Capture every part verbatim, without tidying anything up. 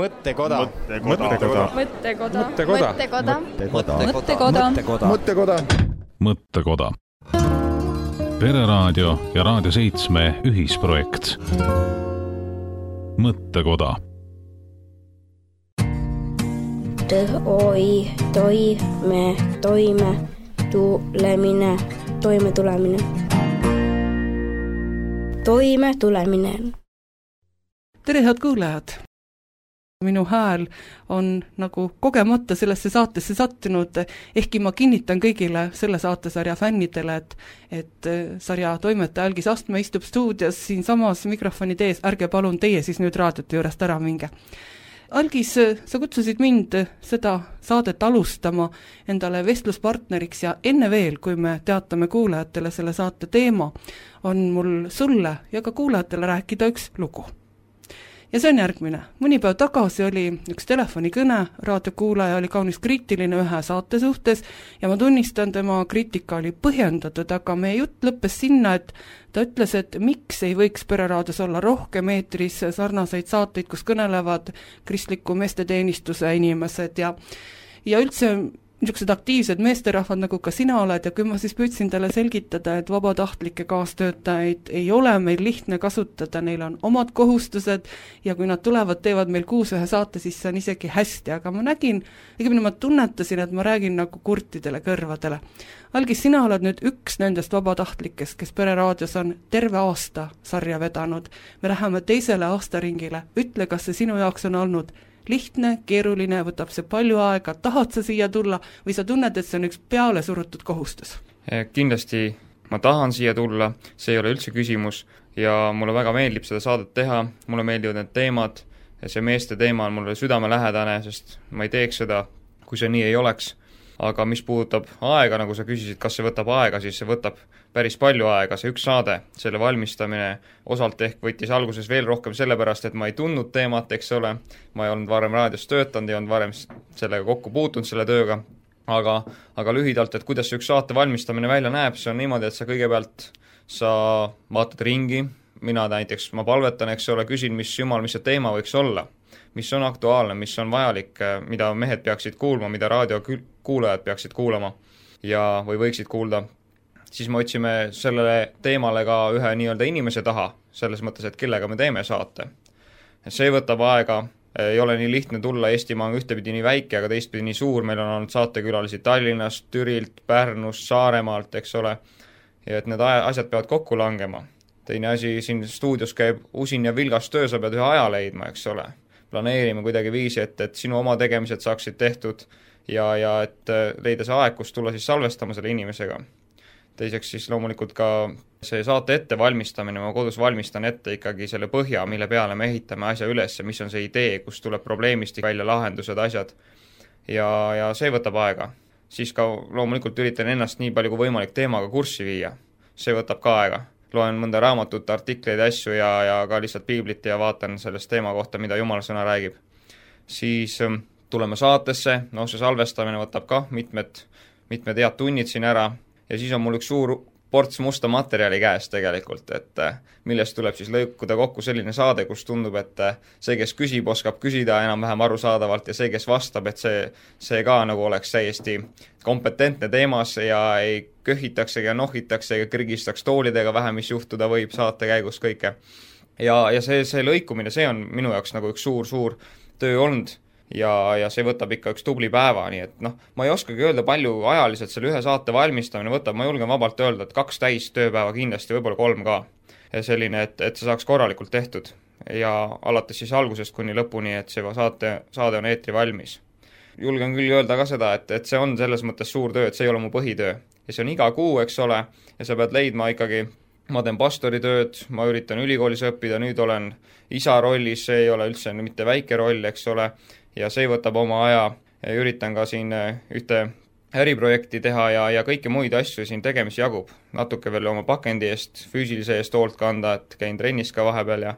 Mõttekoda. Mõttekoda. Mõttekoda. Mõttekoda. Mõttekoda. Mõttekoda. Mõttekoda. Pereraadio ja Raadio seitsme ühisprojekt. Mõttekoda. Oi, toime, toime, tulemine, toime tulemine. Toime tulemine. Tere, head kuulajad! Minu hääl on nagu kogemata sellesse saatesse sattunud, ehkki ma kinnitan kõigile selle saatesarja fännidele, et, et sarja toimetaja Algis Astme istub stuudios siin samas mikrofonid ees, ärge palun teie siis nüüd raadiote juurest ära minge. Algis, sa kutsusid mind seda saadet alustama endale vestluspartneriks ja enne veel, kui me teatame kuulajatele selle saate teema, on mul sulle ja ka kuulajatele rääkida üks lugu. Ja see on järgmine. Mõni päev tagasi oli üks telefonikõne, raadiokuulaja oli kaunis kriitiline ühe saate suhtes ja ma tunnistan, tema kriitika oli põhjendatud, aga meie jutt lõppes sinna, et ta ütles, et miks ei võiks Pereraadios olla rohkem eetris sarnaseid saateid, kus kõnelevad kristliku meesteteenistuse inimesed ja, ja üldse niisugused aktiivsed meesterahvad, nagu ka sina oled, ja kui ma siis püüdsin talle selgitada, et vabatahtlikke kaastöötajaid ei ole meil lihtne kasutada, neil on omad kohustused ja kui nad tulevad, teevad meil kuus ühe saate, siis see on isegi hästi, aga ma nägin, õigemini ma tunnetasin, et ma räägin nagu kurtidele kõrvadele. Algis, sina oled nüüd üks nendest vabatahtlikest, kes Pereraadios on terve aasta sarja vedanud. Me läheme teisele aastaringile. Ütle, kas see sinu jaoks on olnud lihtne, keeruline, võtab see palju aega, tahad sa siia tulla või sa tunned, et see on üks peale surutud kohustus? Kindlasti ma tahan siia tulla, see ei ole üldse küsimus ja mulle väga meeldib seda saadet teha, mulle meeldivad need teemad ja see meeste teema on mulle südamelähedane, sest ma ei teeks seda, kui see nii ei oleks. Aga mis puudutab aega, nagu sa küsisid, kas see võtab aega, siis see võtab päris palju aega, see üks saade, selle valmistamine osalt ehk võttis alguses veel rohkem sellepärast, et ma ei tundnud teemat, eks ole, ma ei olnud varem raadios töötanud, ei olnud varem sellega kokku puutunud selle tööga, aga, aga lühidalt, et kuidas see üks saate valmistamine välja näeb, see on niimoodi, et sa kõigepealt sa vaatad ringi, mina näiteks, ma palvetan, eks ole, küsin, mis jumal, mis see teema võiks olla, mis on aktuaalne, mis on vajalik, mida mehed peaksid kuulma, mida raadiokuulajad peaksid kuulama ja, või võiksid kuulda, siis me otsime sellele teemale ka ühe nii-öelda inimese taha, selles mõttes, et kellega me teeme saate. See võtab aega, ei ole nii lihtne tulla, Eestimaa on ühtepidi nii väike, aga teistpidi nii suur, meil on olnud saatekülalisi Tallinnast, Türilt, Pärnust, Saaremaalt, eks ole, ja et need asjad peavad kokku langema. Teine asi, siin stuudios käib usin ja vilgas töö, sa pead ühe aja leidma, eks ole. Planeerime kuidagi viisi, et, et sinu oma tegemised saaksid tehtud ja, ja et leida see aeg, kus tulla siis salvestama selle inimesega. Teiseks siis loomulikult ka see saate ette valmistamine, ma kodus valmistan ette ikkagi selle põhja, mille peale me ehitame asja üles, mis on see idee, kus tuleb probleemistik välja, lahendused, asjad ja, ja see võtab aega. Siis ka loomulikult üritan ennast nii palju kui võimalik teemaga kurssi viia, see võtab ka aega. Loen mõnda raamatut, artikleid, asju ja, ja ka lihtsalt piiblit ja vaatan sellest teema kohta, mida Jumala sõna räägib. Siis tuleme saatesse, no see salvestamine võtab ka mitmed, mitmed head tunnid siin ära ja siis on mul üks suur ports musta materjali käes tegelikult, et millest tuleb siis lõikuda kokku selline saade, kus tundub, et see, kes küsib, oskab küsida enam-vähem arusaadavalt ja see, kes vastab, et see, see ka nagu oleks täiesti kompetentne teemas ja ei köhitakse ja nohitakse ja krigistaks toolidega vähe, mis juhtuda võib saate käigus kõike. Ja, ja see, see lõikumine, see on minu jaoks nagu üks suur-suur töö olnud ja, ja see võtab ikka üks tubli päeva, nii et noh, ma ei oskagi öelda palju ajaliselt selle ühe saate valmistamine võtab, ma julgen vabalt öelda, et kaks täis tööpäeva kindlasti, võib-olla kolm ka. Ja selline, et, et see saaks korralikult tehtud ja alates siis algusest kuni lõpuni, et see saate, saade on eetri valmis. Julgen küll öelda ka seda, et, et see on selles mõttes suur töö, et see ei ole mu põhitöö. Ja see on iga kuu, eks ole, ja sa pead leidma ikkagi, ma teen pastoritööd, ma üritan ülikoolis õppida, nüüd olen isa rollis, see ei ole üldse mitte väike roll, eks ole, ja see võtab oma aja ja üritan ka siin ühte äriprojekti teha ja, ja kõiki muid asju siin tegemis jagub. Natuke veel oma pakendi eest, füüsilise eest hoolt kanda, et käin trennis ka vahepeal ja,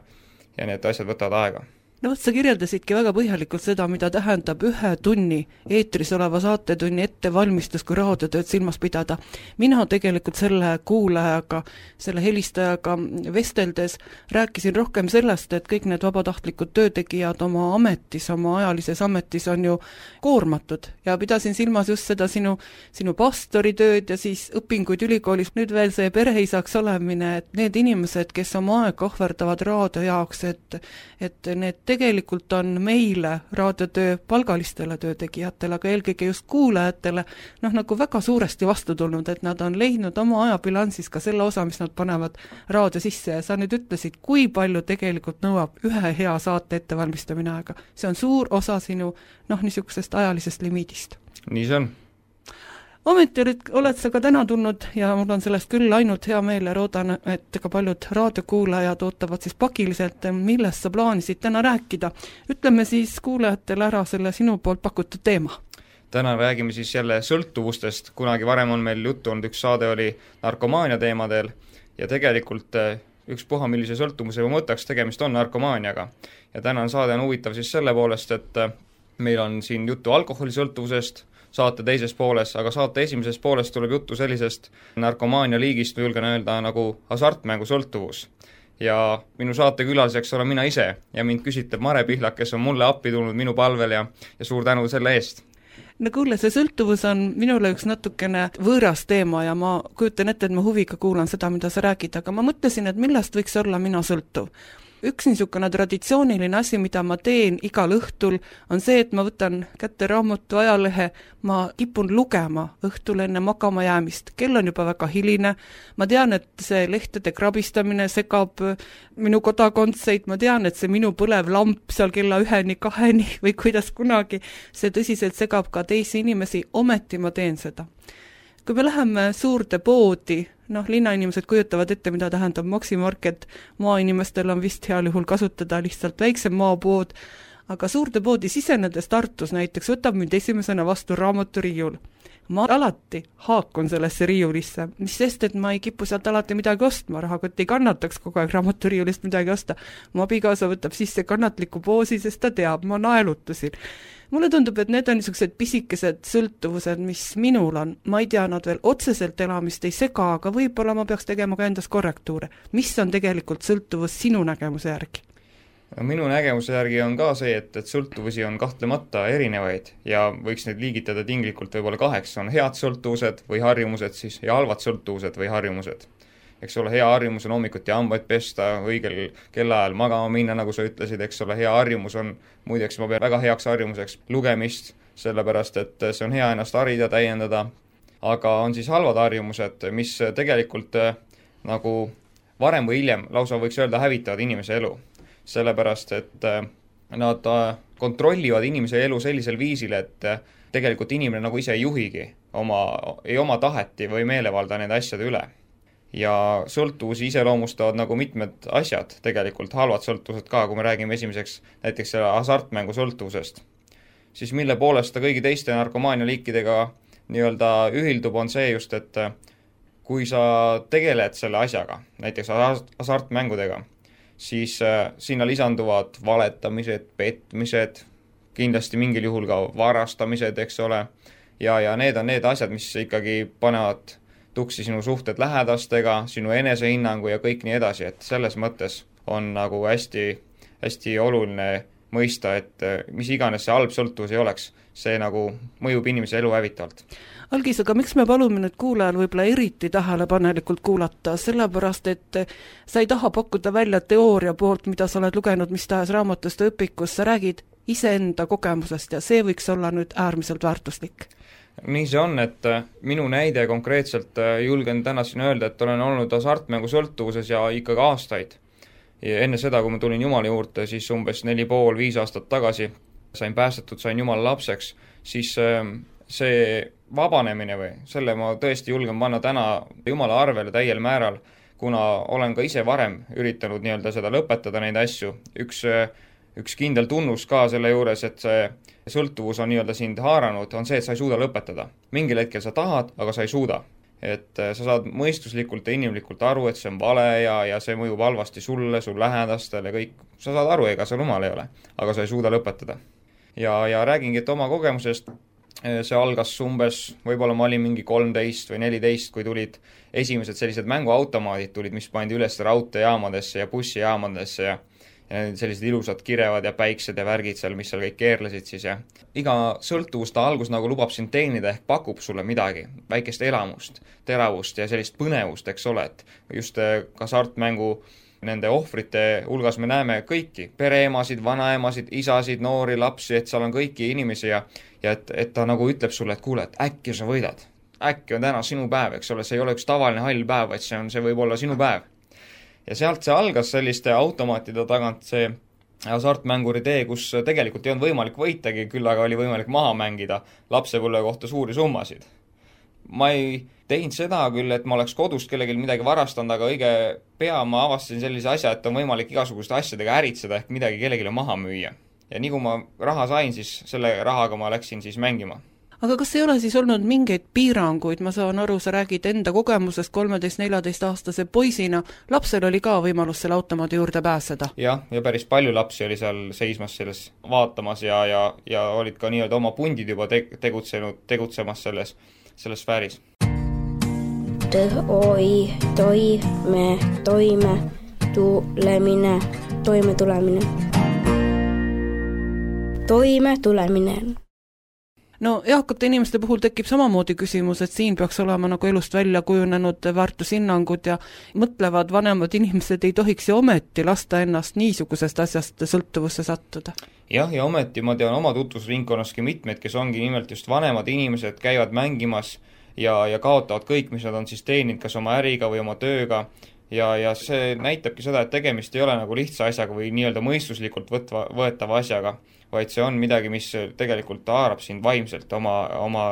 ja need asjad võtavad aega. no vot, sa kirjeldasidki väga põhjalikult seda, mida tähendab ühe tunni eetris oleva saatetunni ettevalmistus, kui raadiotööd silmas pidada. Mina tegelikult selle kuulajaga, selle helistajaga vesteldes rääkisin rohkem sellest, et kõik need vabatahtlikud töötegijad oma ametis, oma ajalises ametis on ju koormatud ja pidasin silmas just seda sinu, sinu pastoritööd ja siis õpinguid ülikoolis, nüüd veel see pereisaks olemine, et need inimesed, kes oma aega ohverdavad raadio jaoks, et, et need tegelikult on meile, raadiotöö palgalistele töötegijatele, aga eelkõige just kuulajatele, noh nagu väga suuresti vastu tulnud, et nad on leidnud oma ajabilansis ka selle osa, mis nad panevad raadio sisse ja sa nüüd ütlesid, kui palju tegelikult nõuab ühe hea saate ettevalmistamine aega. See on suur osa sinu noh, niisugusest ajalisest limiidist. Nii see on. Ometi oled, oled sa ka täna tulnud ja mul on sellest küll ainult hea meel ja loodan, et ka paljud raadiokuulajad ootavad siis pakiliselt, millest sa plaanisid täna rääkida. Ütleme siis kuulajatele ära selle sinu poolt pakutud teema. Täna räägime siis jälle sõltuvustest, kunagi varem on meil juttu olnud, üks saade oli narkomaania teemadel ja tegelikult üks puha, millise sõltuvuse mõttaks tegemist on narkomaaniaga. Ja täna on saade on huvitav siis selle poolest, et meil on siin juttu alkoholisõltuvusest, saate teises pooles, aga saate esimeses pooles tuleb juttu sellisest narkomaania liigist, julgen öelda, nagu hasartmängu sõltuvus. Ja minu saate külaliseks olen mina ise ja mind küsitleb Mare Pihlak, kes on mulle appi tulnud minu palvel ja, ja suur tänu selle eest. No kuule, see sõltuvus on minule üks natukene võõras teema ja ma kujutan ette, et ma huviga kuulan seda, mida sa räägid, aga ma mõtlesin, et millest võiks olla mina sõltuv. Üks niisugune traditsiooniline asi, mida ma teen igal õhtul, on see, et ma võtan kätte raamatu ajalehe, ma kipun lugema õhtul enne magama jäämist. Kell on juba väga hiline, ma tean, et see lehtede krabistamine segab minu kodakondseid, ma tean, et see minu põlev lamp seal kella üheni, kaheni või kuidas kunagi, see tõsiselt segab ka teisi inimesi, ometi ma teen seda. Kui me läheme suurde poodi, noh, linnainimesed kujutavad ette, mida tähendab Maximarket, maainimestel on vist heal juhul kasutada lihtsalt väiksem maapood, aga suurde poodi sisenedes Tartus näiteks võtab mind esimesena vastu raamaturiiul. Ma alati haakun sellesse riiulisse, mis sest, et ma ei kipu sealt alati midagi ostma, rahakott ei kannataks kogu aeg raamaturiiulist midagi osta. Mu abikaasa võtab sisse kannatliku poosi, sest ta teab, ma naelutasin. Mulle tundub, et need on niisugused pisikesed sõltuvused, mis minul on. Ma ei tea, nad veel otseselt elamist ei sega, aga võib-olla ma peaks tegema ka endas korrektuure. Mis on tegelikult sõltuvus sinu nägemuse järgi? Minu nägemuse järgi on ka see, et, et sõltuvusi on kahtlemata erinevaid ja võiks neid liigitada tinglikult võib-olla kaheks. On head sõltuvused või harjumused siis ja halvad sõltuvused või harjumused. Eks ole, hea harjumus on hommikuti hambaid pesta, õigel kellaajal magama minna, nagu sa ütlesid, eks ole, hea harjumus on, muideks ma pean väga heaks harjumuseks lugemist, sellepärast et see on hea ennast harida, täiendada, aga on siis halvad harjumused, mis tegelikult nagu varem või hiljem lausa võiks öelda hävitavad inimese elu. Sellepärast, et nad kontrollivad inimese elu sellisel viisil, et tegelikult inimene nagu ise ei juhigi oma, ei oma taheti või meelevalda nende asjade üle. Ja sõltuvusi iseloomustavad nagu mitmed asjad, tegelikult halvad sõltuvused ka, kui me räägime esimeseks näiteks selle hasartmängu sõltuvusest. Siis mille poolest ta kõigi teiste narkomaania liikidega nii-öelda ühildub, on see just, et kui sa tegeled selle asjaga, näiteks hasartmängudega, siis sinna lisanduvad valetamised, petmised, kindlasti mingil juhul ka varastamised, eks ole, ja, ja need on need asjad, mis ikkagi panevad tuksi sinu suhted lähedastega, sinu enesehinnangu ja kõik nii edasi, et selles mõttes on nagu hästi, hästi oluline mõista, et mis iganes see halb sõltuvus ei oleks, see nagu mõjub inimese elu hävitavalt. Algis, aga miks me palume nüüd kuulajal võib-olla eriti tähelepanelikult kuulata, sellepärast, et sa ei taha pakkuda välja teooria poolt, mida sa oled lugenud mis tahes raamatust ja õpikus, sa räägid iseenda kogemusest ja see võiks olla nüüd äärmiselt väärtuslik. Nii see on, et minu näide konkreetselt julgen täna siin öelda, et olen olnud hasartmängu sõltuvuses ja ikkagi aastaid. Ja enne seda, kui ma tulin Jumala juurde, siis umbes neli pool, viis aastat tagasi sain päästetud, sain Jumala lapseks, siis see vabanemine või selle ma tõesti julgen panna täna Jumala arvele täiel määral, kuna olen ka ise varem üritanud nii-öelda seda lõpetada neid asju. Üks, üks kindel tunnus ka selle juures, et see sõltuvus on nii-öelda sind haaranud, on see, et sa ei suuda lõpetada. Mingil hetkel sa tahad, aga sa ei suuda. et sa saad mõistuslikult ja inimlikult aru, et see on vale ja, ja see mõjub halvasti sulle, sul lähedastele, kõik, sa saad aru, ega sa rumal ei ole, aga sa ei suuda lõpetada. Ja, ja räägingi, et oma kogemusest see algas umbes, võib-olla ma olin mingi kolmteist või neliteist, kui tulid esimesed sellised mänguautomaadid tulid, mis pandi üles raudteejaamadesse ja bussijaamadesse ja ja sellised ilusad kirevad ja päiksed ja värgid seal, mis seal kõik keerlesid siis ja iga sõltuvus ta algus nagu lubab sind teenida ehk pakub sulle midagi, väikest elamust, teravust ja sellist põnevust, eks ole, et just hasartmängu nende ohvrite hulgas me näeme kõiki, pereemasid, vanaemasid, isasid, noori, lapsi, et seal on kõiki inimesi ja, ja et, et ta nagu ütleb sulle, et kuule, et äkki sa võidad, äkki on täna sinu päev, eks ole, see ei ole üks tavaline hall päev, vaid see on, see võib olla sinu päev. Ja sealt see algas selliste automaatide tagant see hasartmänguri tee, kus tegelikult ei olnud võimalik võitagi, küll aga oli võimalik maha mängida lapsepõlve kohta suuri summasid. Ma ei teinud seda küll, et ma oleks kodust kellelgi midagi varastanud, aga õige pea ma avastasin sellise asja, et on võimalik igasuguste asjadega äritseda ehk midagi kellelegi maha müüa. Ja nii kui ma raha sain, siis selle rahaga ma läksin siis mängima. Aga kas ei ole siis olnud mingeid piiranguid, ma saan aru, sa räägid enda kogemusest kolmeteist-neljateist aastase poisina, lapsel oli ka võimalus selle automaadi juurde pääseda? Jah, ja päris palju lapsi oli seal seismas selles vaatamas ja, ja, ja olid ka nii-öelda oma pundid juba te- tegutsenud, tegutsemas selles, selles sfääris. Oi, toime, toime, tulemine, toime tulemine. Toime tulemine. No eakate inimeste puhul tekib samamoodi küsimus, et siin peaks olema nagu elust välja kujunenud väärtushinnangud ja mõtlevad vanemad inimesed ei tohiks ju ometi lasta ennast niisugusest asjast sõltuvusse sattuda. Jah, ja ometi ma tean oma tutvusringkonnaski mitmeid, kes ongi nimelt just vanemad inimesed, käivad mängimas ja, ja kaotavad kõik, mis nad on siis teeninud, kas oma äriga või oma tööga. Ja, ja see näitabki seda, et tegemist ei ole nagu lihtsa asjaga või nii-öelda mõistuslikult võtva, võetava asjaga, vaid see on midagi, mis tegelikult haarab sind vaimselt oma, oma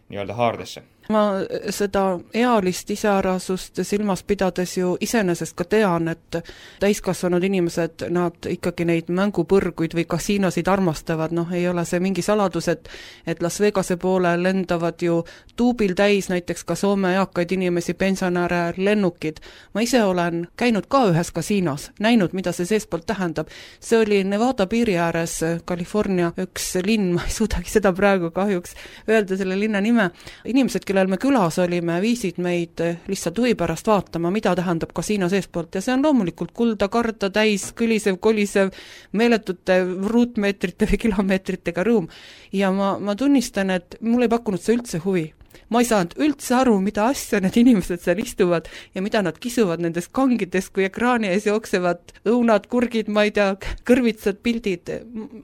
nii-öelda haardesse. Ma seda ealist iseärasust silmas pidades ju iseenesest ka tean, et täiskasvanud inimesed, nad ikkagi neid mängupõrguid või kasiinosid armastavad, noh ei ole see mingi saladus, et, et Las Vegase poole lendavad ju tuubil täis näiteks ka Soome eakaid inimesi, pensionäre, lennukid. Ma ise olen käinud ka ühes kasiinos, näinud, mida see seespoolt tähendab. See oli Nevada piiri ääres, California üks linn, ma ei suudagi seda praegu kahjuks öelda selle linna nime. Inimesed, kellel me külas olime, viisid meid lihtsalt huvi pärast vaatama, mida tähendab kasiino seespoolt ja see on loomulikult kulda, karda, täis, kõlisev, kolisev, meeletute ruutmeetrite või kilomeetritega ruum. Ja ma, ma tunnistan, et mul ei pakkunud see üldse huvi. Ma ei saanud üldse aru, mida asja need inimesed seal istuvad ja mida nad kisuvad nendes kangides, kui ekraani ees jooksevad õunad, kurgid, ma ei tea, kõrvitsad, pildid.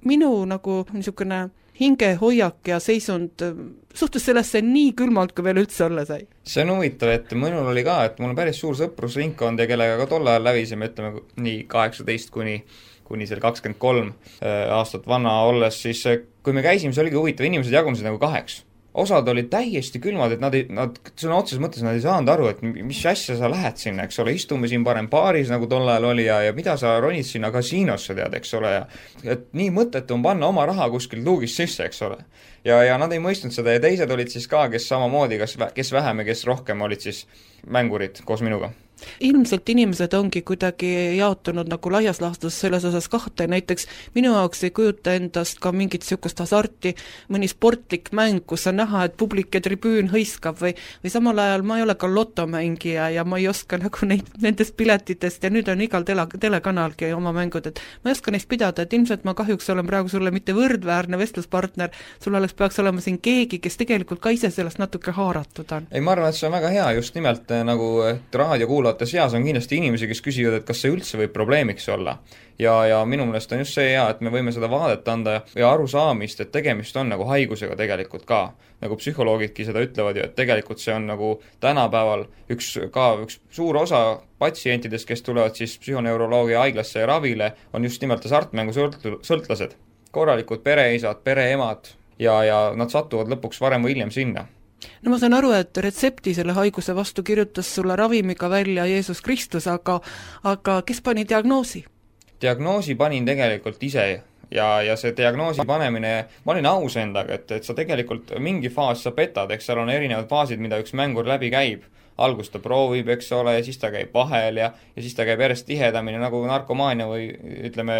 Minu nagu niisugune hingehoiak ja seisund suhtus sellesse nii külmalt, kui veel üldse olla sai. See on huvitav, et minul oli ka, et mul on päris suur sõprusringkond ja kellega ka tol ajal lävisime, ütleme nii kaheksateist kuni, kuni seal kakskümmend kolm aastat vana olles, siis kui me käisime, see oligi huvitav, inimesed jagunesid nagu kaheks. Osad olid täiesti külmad, et nad, ei, nad sõna otseses mõttes nad ei saanud aru, et mis asja sa lähed sinna, eks ole, istume siin parem baaris, nagu tol ajal oli ja, ja mida sa ronid sinna kasiinosse, tead, eks ole, ja et nii mõttetu on panna oma raha kuskil luugist sisse, eks ole. Ja, ja nad ei mõistnud seda ja teised olid siis ka, kes samamoodi, kes, kes vähem ja kes rohkem olid siis mängurid koos minuga. Ilmselt inimesed ongi kuidagi jaotunud nagu laias laastus selles osas kahte, näiteks minu jaoks ei kujuta endast ka mingit sihukest hasarti, mõni sportlik mäng, kus on näha, et publik ja tribüün hõiskab või, või samal ajal ma ei ole ka lotomängija ja ma ei oska nagu neid, nendest piletitest ja nüüd on igal tele, telekanalgi oma mängud, et ma ei oska neist pidada, et ilmselt ma kahjuks olen praegu sulle mitte võrdväärne vestluspartner, sul oleks, peaks olema siin keegi, kes tegelikult ka ise sellest natuke haaratud on. Ei, ma arvan, et see on väga hea, just nimelt nagu raadio kuulata seas on kindlasti inimesi, kes küsivad, et kas see üldse võib probleemiks olla. Ja, ja minu meelest on just see hea, et me võime seda vaadet anda ja arusaamist, et tegemist on nagu haigusega tegelikult ka. Nagu psühholoogidki seda ütlevad ju, et tegelikult see on nagu tänapäeval üks, ka üks suur osa patsientidest, kes tulevad siis psühhoneuroloogia haiglasse ja ravile, on just nimelt hasartmängu sõltlased. Korralikud pereisad, pereemad ja, ja nad satuvad lõpuks varem või hiljem sinna. No ma saan aru, et retsepti selle haiguse vastu kirjutas sulle ravimiga välja Jeesus Kristus, aga, aga kes pani diagnoosi? Diagnoosi panin tegelikult ise ja, ja see diagnoosi panemine, ma olin aus endaga, et, et sa tegelikult mingi faas sa petad, eks seal on erinevad faasid, mida üks mängur läbi käib. Algus ta proovib, eks ole, ja siis ta käib vahel ja, ja siis ta käib järjest tihedamini nagu narkomaania või ütleme,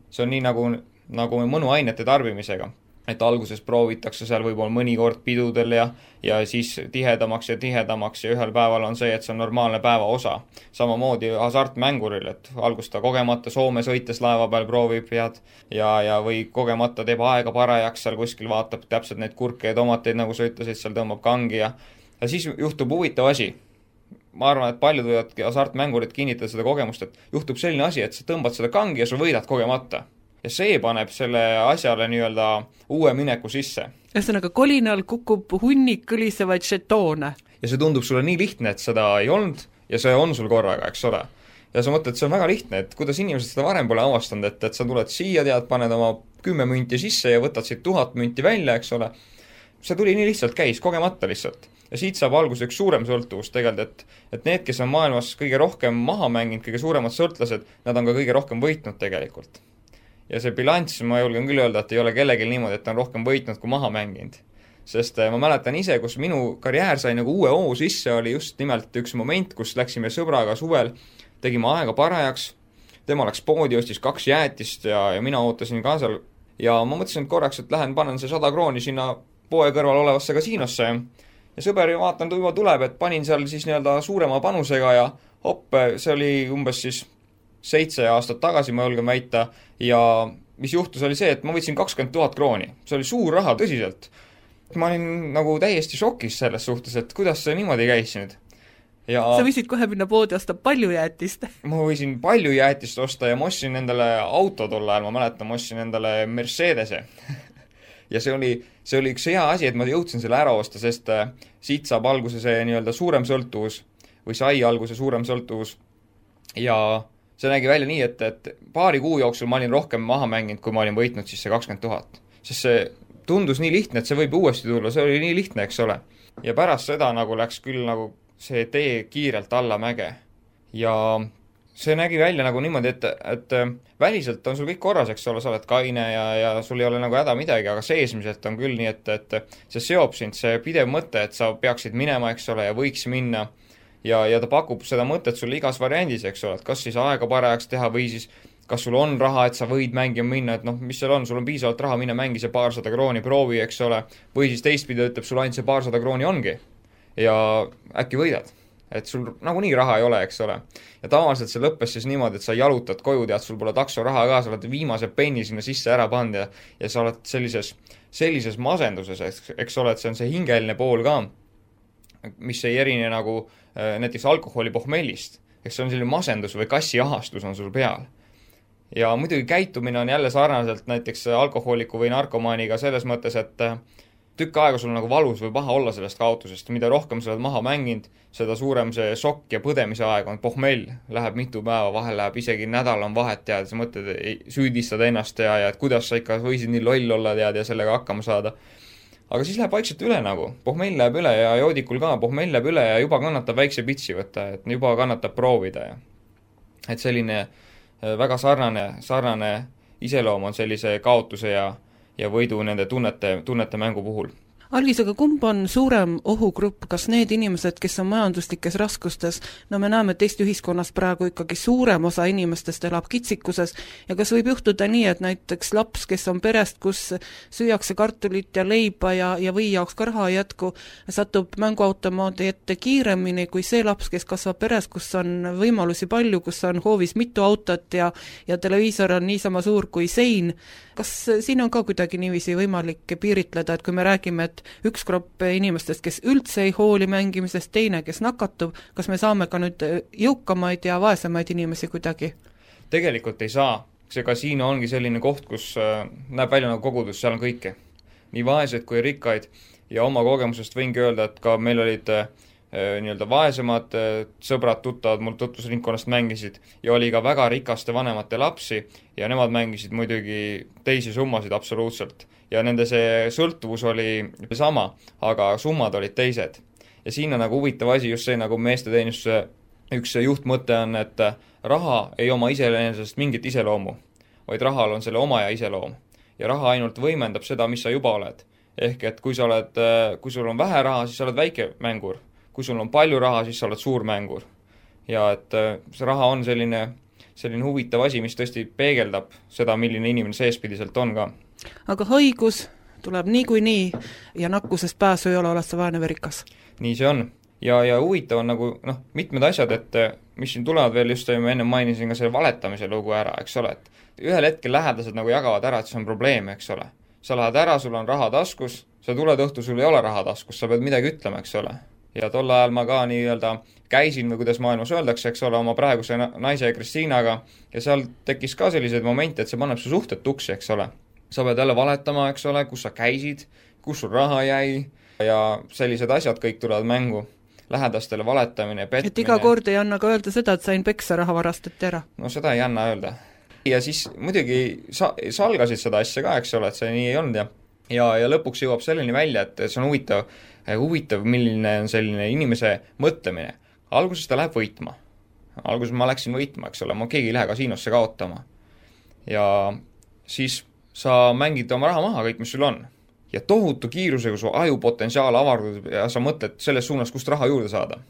see on nii nagu, nagu mõnuainete tarbimisega. Et alguses proovitakse seal võib-olla mõnikord pidudel ja, ja siis tihedamaks ja tihedamaks ja ühel päeval on see, et see on normaalne päeva osa. Samamoodi hasartmänguril, et algus ta kogemata Soome sõites laeva peal proovib head ja, ja või kogemata teeb aega parajaks, seal kuskil vaatab täpselt neid kurke ja tomateid, nagu sa ütlesid, seal tõmbab kangi ja, ja siis juhtub huvitav asi. Ma arvan, et paljud võivad hasartmängurid kinnitada seda kogemust, et juhtub selline asi, et sa tõmbad seda kangi ja sa võidad kogemata. Ja see paneb selle asjale nii-öelda uue mineku sisse. Ühesõnaga, kolinal kukub hunnik kõlisevaid žetoone. Ja see tundub sulle nii lihtne, et seda ei olnud ja see on sul korraga, eks ole. Ja sa mõtled, et see on väga lihtne, et kuidas inimesed seda varem pole avastanud, et, et sa tuled siia, tead, paned oma kümme münti sisse ja võtad siit tuhat münti välja, eks ole. See tuli nii lihtsalt käis, kogemata lihtsalt. Ja siit saab alguse üks suurem sõltuvus tegelikult, et, et need, kes on maailmas kõige rohkem maha mänginud, kõige suuremad sõltlased, nad on ka kõige rohkem võitnud tegelikult. Ja see bilanss, ma julgen küll öelda, et ei ole kellelgi niimoodi, et on rohkem võitnud kui maha mänginud. Sest ma mäletan ise, kus minu karjäär sai nagu uue oo sisse, oli just nimelt üks moment, kus läksime sõbraga suvel, tegime aega parajaks, tema läks poodi, ostis kaks jäätist ja, ja mina ootasin ka seal. Ja ma mõtlesin, et korraks, et lähen panen see sada krooni sinna poe kõrval olevasse kasiinosse. Ja sõber vaatan, juba tuleb, et panin seal siis nii-öelda suurema panusega ja hopp, see oli umbes siis seitse aastat tagasi, ma julgen väita, ja mis juhtus oli see, et ma võtsin kakskümmend tuhat krooni. See oli suur raha tõsiselt. Ma olin nagu täiesti šokis selles suhtes, et kuidas see niimoodi käis nüüd. Ja sa võisid kohe minna poodi osta palju jäätist. Ma võisin palju jäätist osta ja ma ostsin endale auto tol ajal, ma mäletan, ma ostsin endale Mercedese. Ja see oli, see oli üks hea asi, et ma jõudsin selle ära osta, sest siit saab alguse see nii-öelda suurem sõltuvus või sai alguse suurem sõltuvus ja see nägi välja nii, et, et paari kuu jooksul ma olin rohkem maha mänginud, kui ma olin võitnud siis see kakskümmend tuhat. Sest see tundus nii lihtne, et see võib uuesti tulla, see oli nii lihtne, eks ole. Ja pärast seda nagu läks küll nagu see tee kiirelt alla mäge. Ja see nägi välja nagu niimoodi, et, et väliselt on sul kõik korras, eks ole, sa oled kaine ja, ja sul ei ole nagu häda midagi, aga seesmiselt on küll nii, et, et see seob sind, see pidev mõte, et sa peaksid minema, eks ole, ja võiks minna. Ja, ja ta pakub seda mõtet sulle igas variandis, eks ole, et kas siis aega parajaks teha või siis kas sul on raha, et sa võid mängima minna, et noh, mis seal on, sul on piisavalt raha, mine mängi see paarsada krooni, proovi, eks ole, või siis teistpidi ütleb sul ainult see paarsada krooni ongi ja äkki võidad, et sul nagunii raha ei ole, eks ole. Ja tavaliselt see lõppes siis niimoodi, et sa jalutad koju, tead, sul pole takso raha ka, sa oled viimase penni sinna sisse ära pannud ja, ja sa oled sellises, sellises masenduses, eks, eks ole, et see on see hingeline pool ka, mis ei erine nagu näiteks alkoholi pohmellist, eks see on selline masendus või kassiahastus on sul peal. Ja muidugi käitumine on jälle sarnaselt näiteks alkohooliku või narkomaaniga selles mõttes, et tükk aega sul nagu valus või paha olla sellest kaotusest, mida rohkem sa oled maha mänginud, seda suurem see šokk ja põdemise aeg on, pohmell läheb mitu päeva, vahel läheb isegi nädal on vahet, tead, sa mõtled, süüdistad ennast ja, ja et kuidas sa ikka võisid nii loll olla, tead, ja sellega hakkama saada. Aga siis läheb vaikselt üle nagu, pohmell läheb üle ja joodikul ka, pohmell läheb üle ja juba kannatab väikse pitsi võtta, et juba kannatab proovida ja et selline väga sarnane, sarnane iseloom on sellise kaotuse ja, ja võidu nende tunnete, tunnete mängu puhul. Algis, aga kumb on suurem ohugrupp, kas need inimesed, kes on majanduslikes raskustes, no me näeme, et Eesti ühiskonnas praegu ikkagi suurem osa inimestest elab kitsikuses ja kas võib juhtuda nii, et näiteks laps, kes on perest, kus süüakse kartulit ja leiba ja, ja või jaoks ka raha jätku, satub mänguautomaadi ette kiiremini kui see laps, kes kasvab peres, kus on võimalusi palju, kus on hoovis mitu autot ja, ja televiisor on niisama suur kui sein. Kas siin on ka kuidagi niiviisi võimalik piiritleda, et kui me räägime, et üks grupp inimestest, kes üldse ei hooli mängimisest, teine, kes nakatub, kas me saame ka nüüd jõukamaid ja vaesemaid inimesi kuidagi? Tegelikult ei saa. See kasiino ongi selline koht, kus näeb välja nagu kogudus, seal on kõike. Nii vaesed kui rikkaid ja oma kogemusest võingi öelda, et ka meil olid nii-öelda vaesemad sõbrad, tuttavad mul tutvusringkonnast mängisid ja oli ka väga rikaste vanemate lapsi ja nemad mängisid muidugi teisi summasid absoluutselt. Ja nende see sõltuvus oli sama, aga summad olid teised. Ja siin on nagu huvitav asi just see, nagu meesteteenistuse üks juhtmõte on, et raha ei oma iseenesest mingit iseloomu. vaid rahal on selle oma ja iseloom. Ja raha ainult võimendab seda, mis sa juba oled. Ehk et kui sa oled, kui sul on vähe raha, siis sa oled väike mängur. Kui sul on palju raha, siis sa oled suur mängur. Ja et see raha on selline, selline huvitav asi, mis tõesti peegeldab seda, milline inimene seespidiselt on ka. Aga haigus tuleb niikuinii ja nakkusest pääsu ei ole, oled sa vaene verikas. Nii see on. Ja, ja huvitav on nagu, noh, mitmed asjad, et mis siin tulevad veel just, ma enne mainisin ka selle valetamise lugu ära, eks ole, et ühel hetkel lähedased nagu jagavad ära, et see on probleem, eks ole. Sa lähed ära, sul on raha taskus, sa tuled õhtu, sul ei ole raha taskus, sa pead midagi ütlema, eks ole. Ja tol ajal ma ka nii-öelda käisin, või kuidas maailmas öeldakse, eks ole, oma praeguse naise Kristiinaga, ja seal tekkis ka sellised momente, et see paneb su suhted tuksi, eks ole. Sa pead jälle valetama, eks ole, kus sa käisid, kus sul raha jäi, ja sellised asjad kõik tulevad mängu. Lähedastele valetamine, petmine. Et iga kord ei anna ka öelda seda, et sain peksa raha varastati ära. No seda ei anna öelda. Ja siis muidugi sa, salgasid seda asja ka, eks ole, et see nii ei olnud ja, ja, ja lõpuks jõuab selleni välja, et see on huvitav, huvitav, milline on selline inimese mõtlemine. Alguses ta läheb võitma. Alguses ma läksin võitma, eks ole, ma keegi ei lähe kasiinosse kaotama. Ja siis sa mängid oma raha maha kõik, mis sul on. Ja tohutu kiirusega su ajupotentsiaal avardub ja sa mõtled selles suunas, kust raha juurde saada.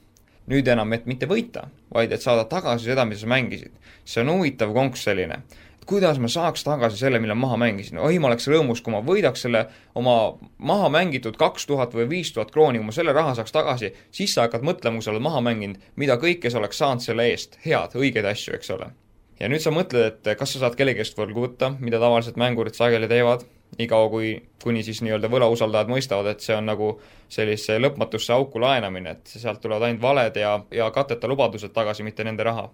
Nüüd enam, et mitte võita, vaid et saada tagasi seda, mida sa mängisid. See on huvitav konks selline. Et kuidas ma saaks tagasi selle, mille maha mängisin? Oi, ma oleks rõõmus, kui ma võidaks selle oma maha mängitud kaks tuhat või viis tuhat krooni, kui ma selle raha saaks tagasi, siis sa hakkad mõtlema, kui sa oled maha mänginud, mida kõike sa oleks saanud selle eest. Head, õigeid asju, eks ole. Ja nüüd sa mõtled, et kas sa saad kellegest võlgu võtta, mida tavaliselt mängurid sageli teevad, igav kui, kuni siis nii-öelda võlausaldajad mõistavad, et see on nagu sellise lõpmatusse auku laenamine, et sealt tulevad ainult valed ja, ja kateta lubadused tagasi, mitte nende raha.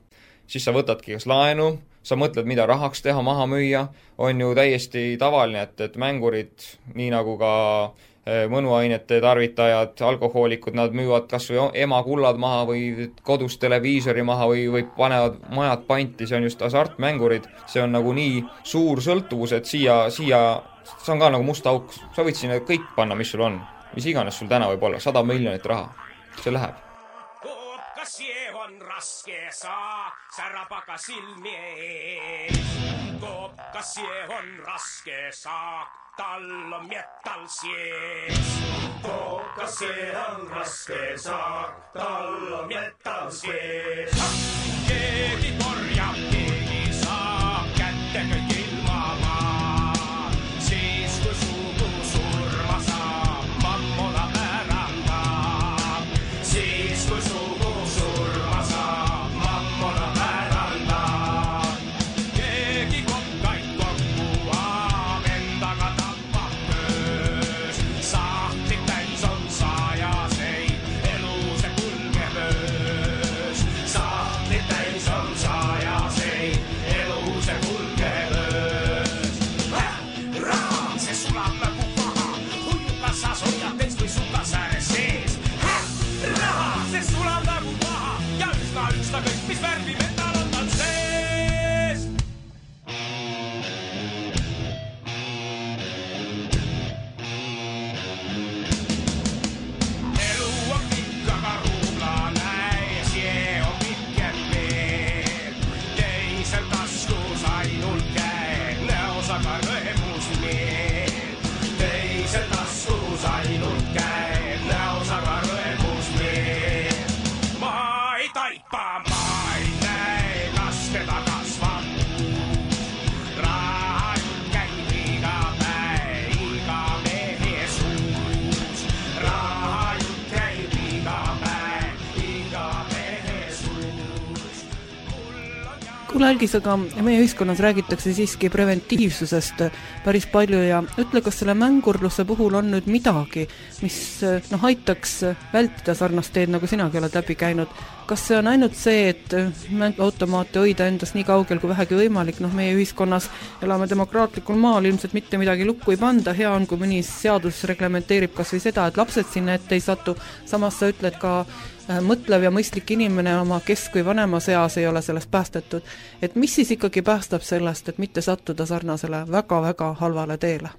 Siis sa võtadki kas laenu, sa mõtled, mida rahaks teha, maha müüa, on ju täiesti tavaline, et, et mängurid, nii nagu ka mõnuainete tarvitajad, alkohoolikud, nad müüvad kas või ema kullad maha või kodus televiisori maha või, või panevad majad panti, see on just hasartmängurid, see on nagu nii suur sõltuvus, et siia, siia see on ka nagu must auk, sa võid sinna kõik panna, mis sul on, mis iganes sul täna võib olla, sada miljonit raha, see läheb. Koopkas on raske saa, särapaka silmie, koopkas on raske saa, tal on metall sees. Koopkas on raske saa, tal on metall sees. Keegi korjab, keegi saab kätte kõik ilma maa. Siis kui sugu surma saab, mammona pärandab. Siis kui sugu surma saab, mammona pärandab. Keegi kokkaid kokku aab, endaga tappab möös. Sahtid täis on saajaseid, elu see kulgeb öös. Sahtid täis on saajaseid, elu see kulgeb öös. Raha, see sulab nagu paha, huiukassas hoiab teist või sukasääre sees. Raha, see sulab nagu paha ja üsna üksta kõik, mis värvi metal on tal sees. Elu on pikk, aga ruublane ja see on pikem veel. Teisel taskus ainult käed, näos aga rõemus meel. Teisel taskus ainult käed, näos aga rõemus meel. Ma ei taipa, ma ei näe, kas teda kasvab uus. Raha jutt käib iga päev, iga mehe suus. Raha jutt käib iga päev, iga mehe suus. Kuule Algis, aga meie ühiskonnas räägitakse siiski preventiivsusest päris palju ja ütle, kas selle mängurluse puhul on nüüd midagi, mis noh, aitaks vältida sarnast teed, nagu sinagi oled läbi käinud. Kas see on ainult see, et mänguautomaate hoida endas nii kaugel kui vähegi võimalik, noh meie ühiskonnas elame demokraatlikul maal, ilmselt mitte midagi lukku ei panda, hea on, kui mõni seadus reglementeerib kas või seda, et lapsed sinna ette ei satu, samas sa ütled ka mõtlev ja mõistlik inimene oma kesk- või vanema seas ei ole sellest päästetud. Et mis siis ikkagi päästab sellest, et mitte sattuda sarnasele väga-väga halvale teele?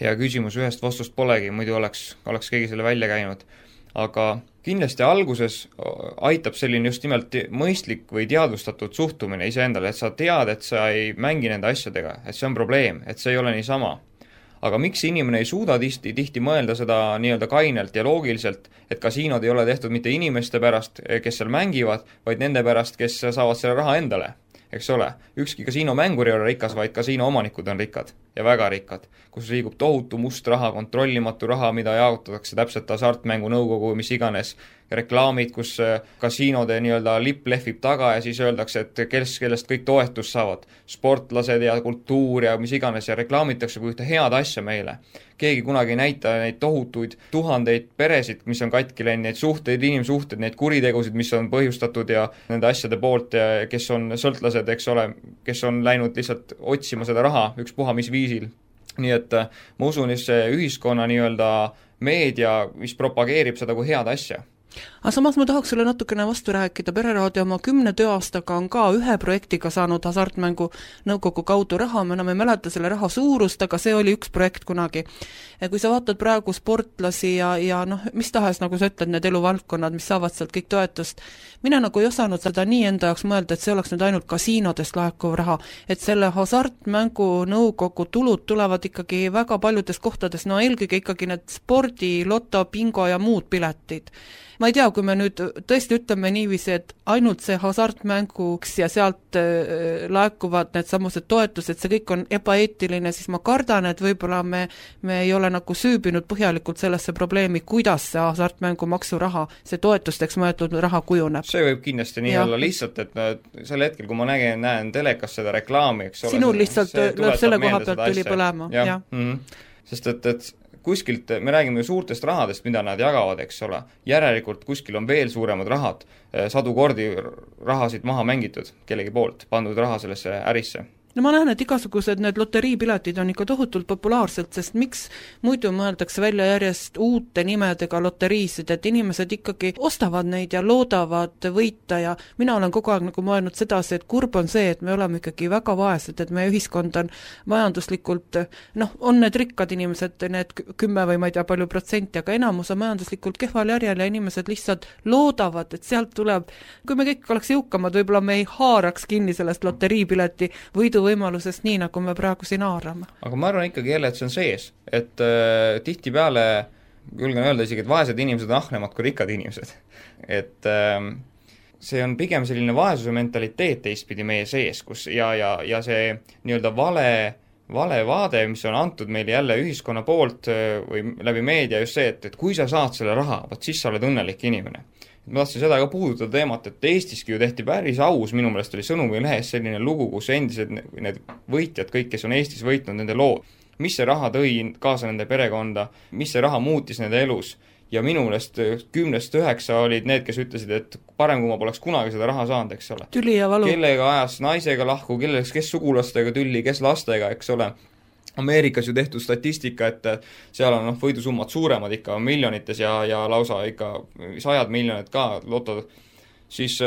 Hea küsimus, ühest vastust polegi, muidu oleks, oleks keegi selle välja käinud. aga kindlasti alguses aitab selline just nimelt mõistlik või teadvustatud suhtumine iseendale, et sa tead, et sa ei mängi nende asjadega, et see on probleem, et see ei ole niisama. Aga miks inimene ei suuda tihti, tihti mõelda seda nii-öelda kainelt ja loogiliselt, et kasiinod ei ole tehtud mitte inimeste pärast, kes seal mängivad, vaid nende pärast, kes saavad selle raha endale, eks ole. Ükski kasiino mängur ei ole rikas, vaid kasiino omanikud on rikkad ja väga rikkad, kus liigub tohutu must raha, kontrollimatu raha, mida jaotatakse täpselt hasartmängu nõukogu, mis iganes reklaamid, kus kasiinode nii-öelda lipp lehvib taga ja siis öeldakse, et kes, kellest kõik toetust saavad, sportlased ja kultuur ja mis iganes ja reklaamitakse kui ühte head asja meile. Keegi kunagi ei näita neid tohutuid tuhandeid peresid, mis on katki läinud, neid suhteid, inimsuhted, neid kuritegusid, mis on põhjustatud ja nende asjade poolt, ja kes on sõltlased, eks ole, kes on läinud lihtsalt otsima seda raha ükspuha mis viisil. Nii et ma usun, et see ühiskonna nii-öelda meedia, mis propageerib seda kui head asja. Aga samas ma tahaks sulle natukene vastu rääkida, Pereraadio oma kümne tööaastaga on ka ühe projektiga saanud hasartmängu nõukogu kaudu raha, me enam ei mäleta selle raha suurust, aga see oli üks projekt kunagi. Ja kui sa vaatad praegu sportlasi ja, ja noh, mis tahes, nagu sa ütled, need eluvaldkonnad, mis saavad sealt kõik toetust, mina nagu ei osanud seda nii enda jaoks mõelda, et see oleks nüüd ainult kasiinodest laekuv raha, et selle hasartmängu nõukogu tulud tulevad ikkagi väga paljudes kohtades, no eelkõige ikkagi need spordi, loto, bingo ja muud piletid. Ma ei tea, kui me nüüd tõesti ütleme niiviisi, et ainult see hasartmänguks ja sealt äh, laekuvad need samused toetused, see kõik on ebaeetiline, siis ma kardan, et võib-olla me, me ei ole nagu süübinud põhjalikult sellesse probleemi, kuidas see hasartmängu maksuraha, see toetusteks mõeldud raha kujuneb. See võib kindlasti nii ja. olla lihtsalt, et sel hetkel, kui ma nägen, näen telekas seda reklaami, eks ole. Sinul lihtsalt lööb selle koha pealt tuli põlema. Ja. Ja. Mm-hmm. Sest et, et kuskilt, me räägime suurtest rahadest, mida nad jagavad, eks ole, järelikult kuskil on veel suuremad rahad, sadu kordi rahasid maha mängitud kellegi poolt, pandud raha sellesse ärisse. No ma näen, et igasugused need loteriipiletid on ikka tohutult populaarselt, sest miks muidu mõeldakse välja järjest uute nimedega loteriisid, et inimesed ikkagi ostavad neid ja loodavad võita ja mina olen kogu aeg nagu mõelnud sedasi, et kurb on see, et me oleme ikkagi väga vaesed, et meie ühiskond on majanduslikult, noh, on need rikkad inimesed, need kümme või ma ei tea palju protsenti, aga enamus on majanduslikult kehval järjel ja inimesed lihtsalt loodavad, et sealt tuleb, kui me kõik oleks jõukamad, võib-olla me ei haaraks kinni sellest loteriipileti võidu võimalusest nii, nagu me praegu siin haarame. Aga ma arvan ikkagi jälle, et see on sees, et äh, tihti peale, julgen öelda isegi, et vaesed inimesed on ahnemad kui rikkad inimesed. Et äh, see on pigem selline vaesuse mentaliteet teistpidi meie sees, kus ja, ja, ja see nii-öelda vale, vale vaade, mis on antud meile jälle ühiskonna poolt või läbi meedia just see, et, et kui sa saad selle raha, vaat siis sa oled õnnelik inimene. Ma tahtsin seda ka puudutada teemat, et Eestiski ju tehti päris aus, minu meelest oli Sõnumi lehes selline lugu, kus endised need võitjad, kõik, kes on Eestis võitnud, nende lood, mis see raha tõi kaasa nende perekonda, mis see raha muutis nende elus ja minu meelest kümnest üheksa olid need, kes ütlesid, et parem kui ma poleks kunagi seda raha saanud, eks ole. Tüli ja valu. Kellega ajas naisega lahku, kelleks, kes sugulastega tülli, kes lastega, eks ole. Ameerikas ju tehtud statistika, et seal on noh, võidusummad suuremad ikka miljonites ja, ja lausa ikka sajad miljonid ka lotod, siis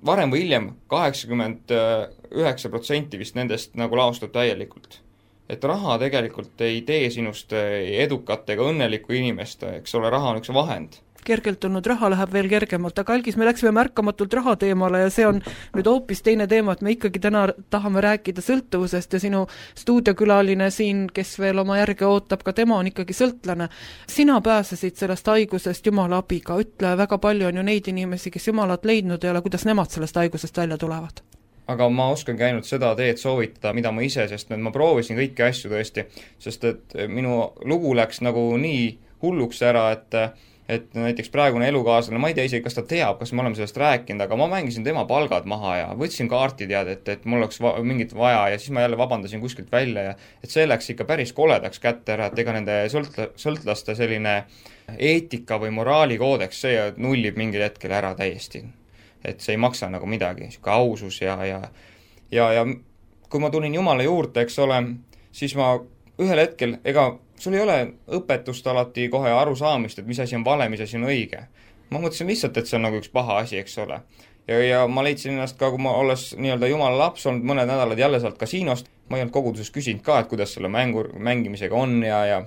varem või hiljem kaheksakümmend üheksa protsenti vist nendest nagu laostub täielikult. Et raha tegelikult ei tee sinust edukat ega õnnelikku inimest, eks ole, raha on üks vahend. Kergelt tulnud raha läheb veel kergemalt, aga Algis, me läksime märkamatult raha teemale ja see on nüüd hoopis teine teema, et me ikkagi täna tahame rääkida sõltuvusest ja sinu stuudiokülaline siin, kes veel oma järge ootab, ka tema on ikkagi sõltlane. Sina pääsesid sellest haigusest Jumala abiga, ütle, väga palju on ju neid inimesi, kes Jumalat leidnud ei ole, kuidas nemad sellest haigusest välja tulevad? Aga ma oskangi ainult seda teed soovitada, mida ma ise, sest ma proovisin kõiki asju tõesti, sest et minu lugu läks nagu nii hulluks ära, et et näiteks praegune elukaaslane, ma ei tea isegi, kas ta teab, kas me oleme sellest rääkinud, aga ma mängisin tema palgad maha ja võtsin kaarti teada, et, et mul oleks va- mingit vaja ja siis ma jälle vabandasin kuskilt välja ja et see läks ikka päris koledaks kätte ära, et ega nende sõlt- sõltlaste selline eetika või moraalikoodeks, see nullib mingil hetkel ära täiesti. Et see ei maksa nagu midagi, siuke ausus ja, ja, ja, ja kui ma tulin Jumala juurde, eks ole, siis ma ühel hetkel, ega sul ei ole õpetust alati kohe arusaamist, et mis asi on vale, mis asi on õige. Ma mõtlesin lihtsalt, et see on nagu üks paha asi, eks ole. Ja, ja ma leidsin ennast ka, kui ma olles nii-öelda Jumala laps olnud mõned nädalad jälle sealt kasiinost, ma ei olnud koguduses küsinud ka, et kuidas selle mängu, mängimisega on ja, ja,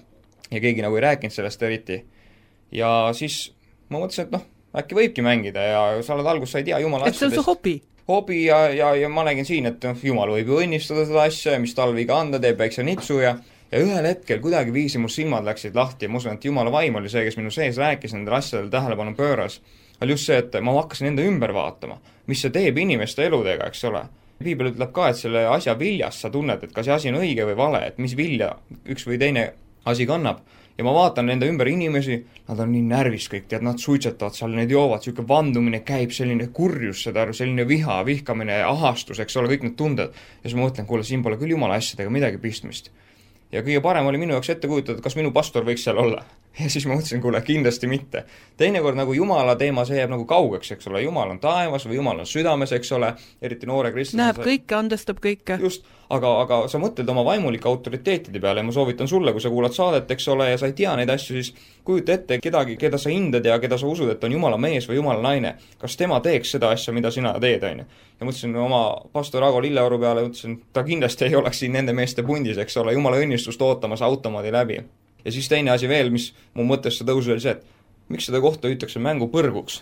ja keegi nagu ei rääkinud sellest eriti. Ja siis ma mõtlesin, et noh, äkki võibki mängida ja sa oled algus, sa ei tea jumala et see on su hobi? hobi ja, ja, ja ma nägin siin, et noh, jumal võib ju õnnistada seda asja, mis tal viga anda, teeb väikse nipsu ja ja ühel hetkel kuidagi viisi mu silmad läksid lahti ja ma usun, et jumala vaim oli see, kes minu sees rääkis nendel asjadel tähelepanu pööras, oli just see, et ma hakkasin enda ümber vaatama, mis see teeb inimeste eludega, eks ole. Piibel ütleb ka, et selle asja viljast sa tunned, et kas see asi on õige või vale, et mis vilja üks või teine asi kannab. Ja ma vaatan nende ümber inimesi, nad on nii närvis kõik, tead, nad suitsetavad seal, need joovad, selline vandumine käib, selline kurjus, seda, selline viha, vihkamine, ahastus, eks ole, kõik need tunded. Ja siis ma mõtlen, kuule, siin pole küll jumala asjadega midagi pistmist. Ja kõige parem oli minu jaoks ette kujutada, kas minu pastor võiks seal olla. Ja siis ma mõtlesin, kuule, kindlasti mitte. Teinekord nagu jumala teema, see jääb nagu kaugeks, eks ole, jumal on taevas või jumal on südames, eks ole, eriti noore kristlased. Näeb kõike, andestab kõike. Just, aga, aga sa mõtled oma vaimulike autoriteetide peale ja ma soovitan sulle, kui sa kuulad saadet, eks ole, ja sa ei tea neid asju, siis kujuta ette kedagi, keda sa hindad ja keda sa usud, et on jumala mees või jumala naine. Kas tema teeks seda asja, mida sina teed, on ju? Ja mõtlesin oma pastor Ago Lilleoru peale, mõtlesin, ta kindlasti ei oleks siin nende meeste pundis, eks ole, jumala õnnistust ootamas automaadi läbi. Ja siis teine asi veel, mis mu mõttesse tõusus oli see, et miks seda kohta hüütakse mängu põrguks?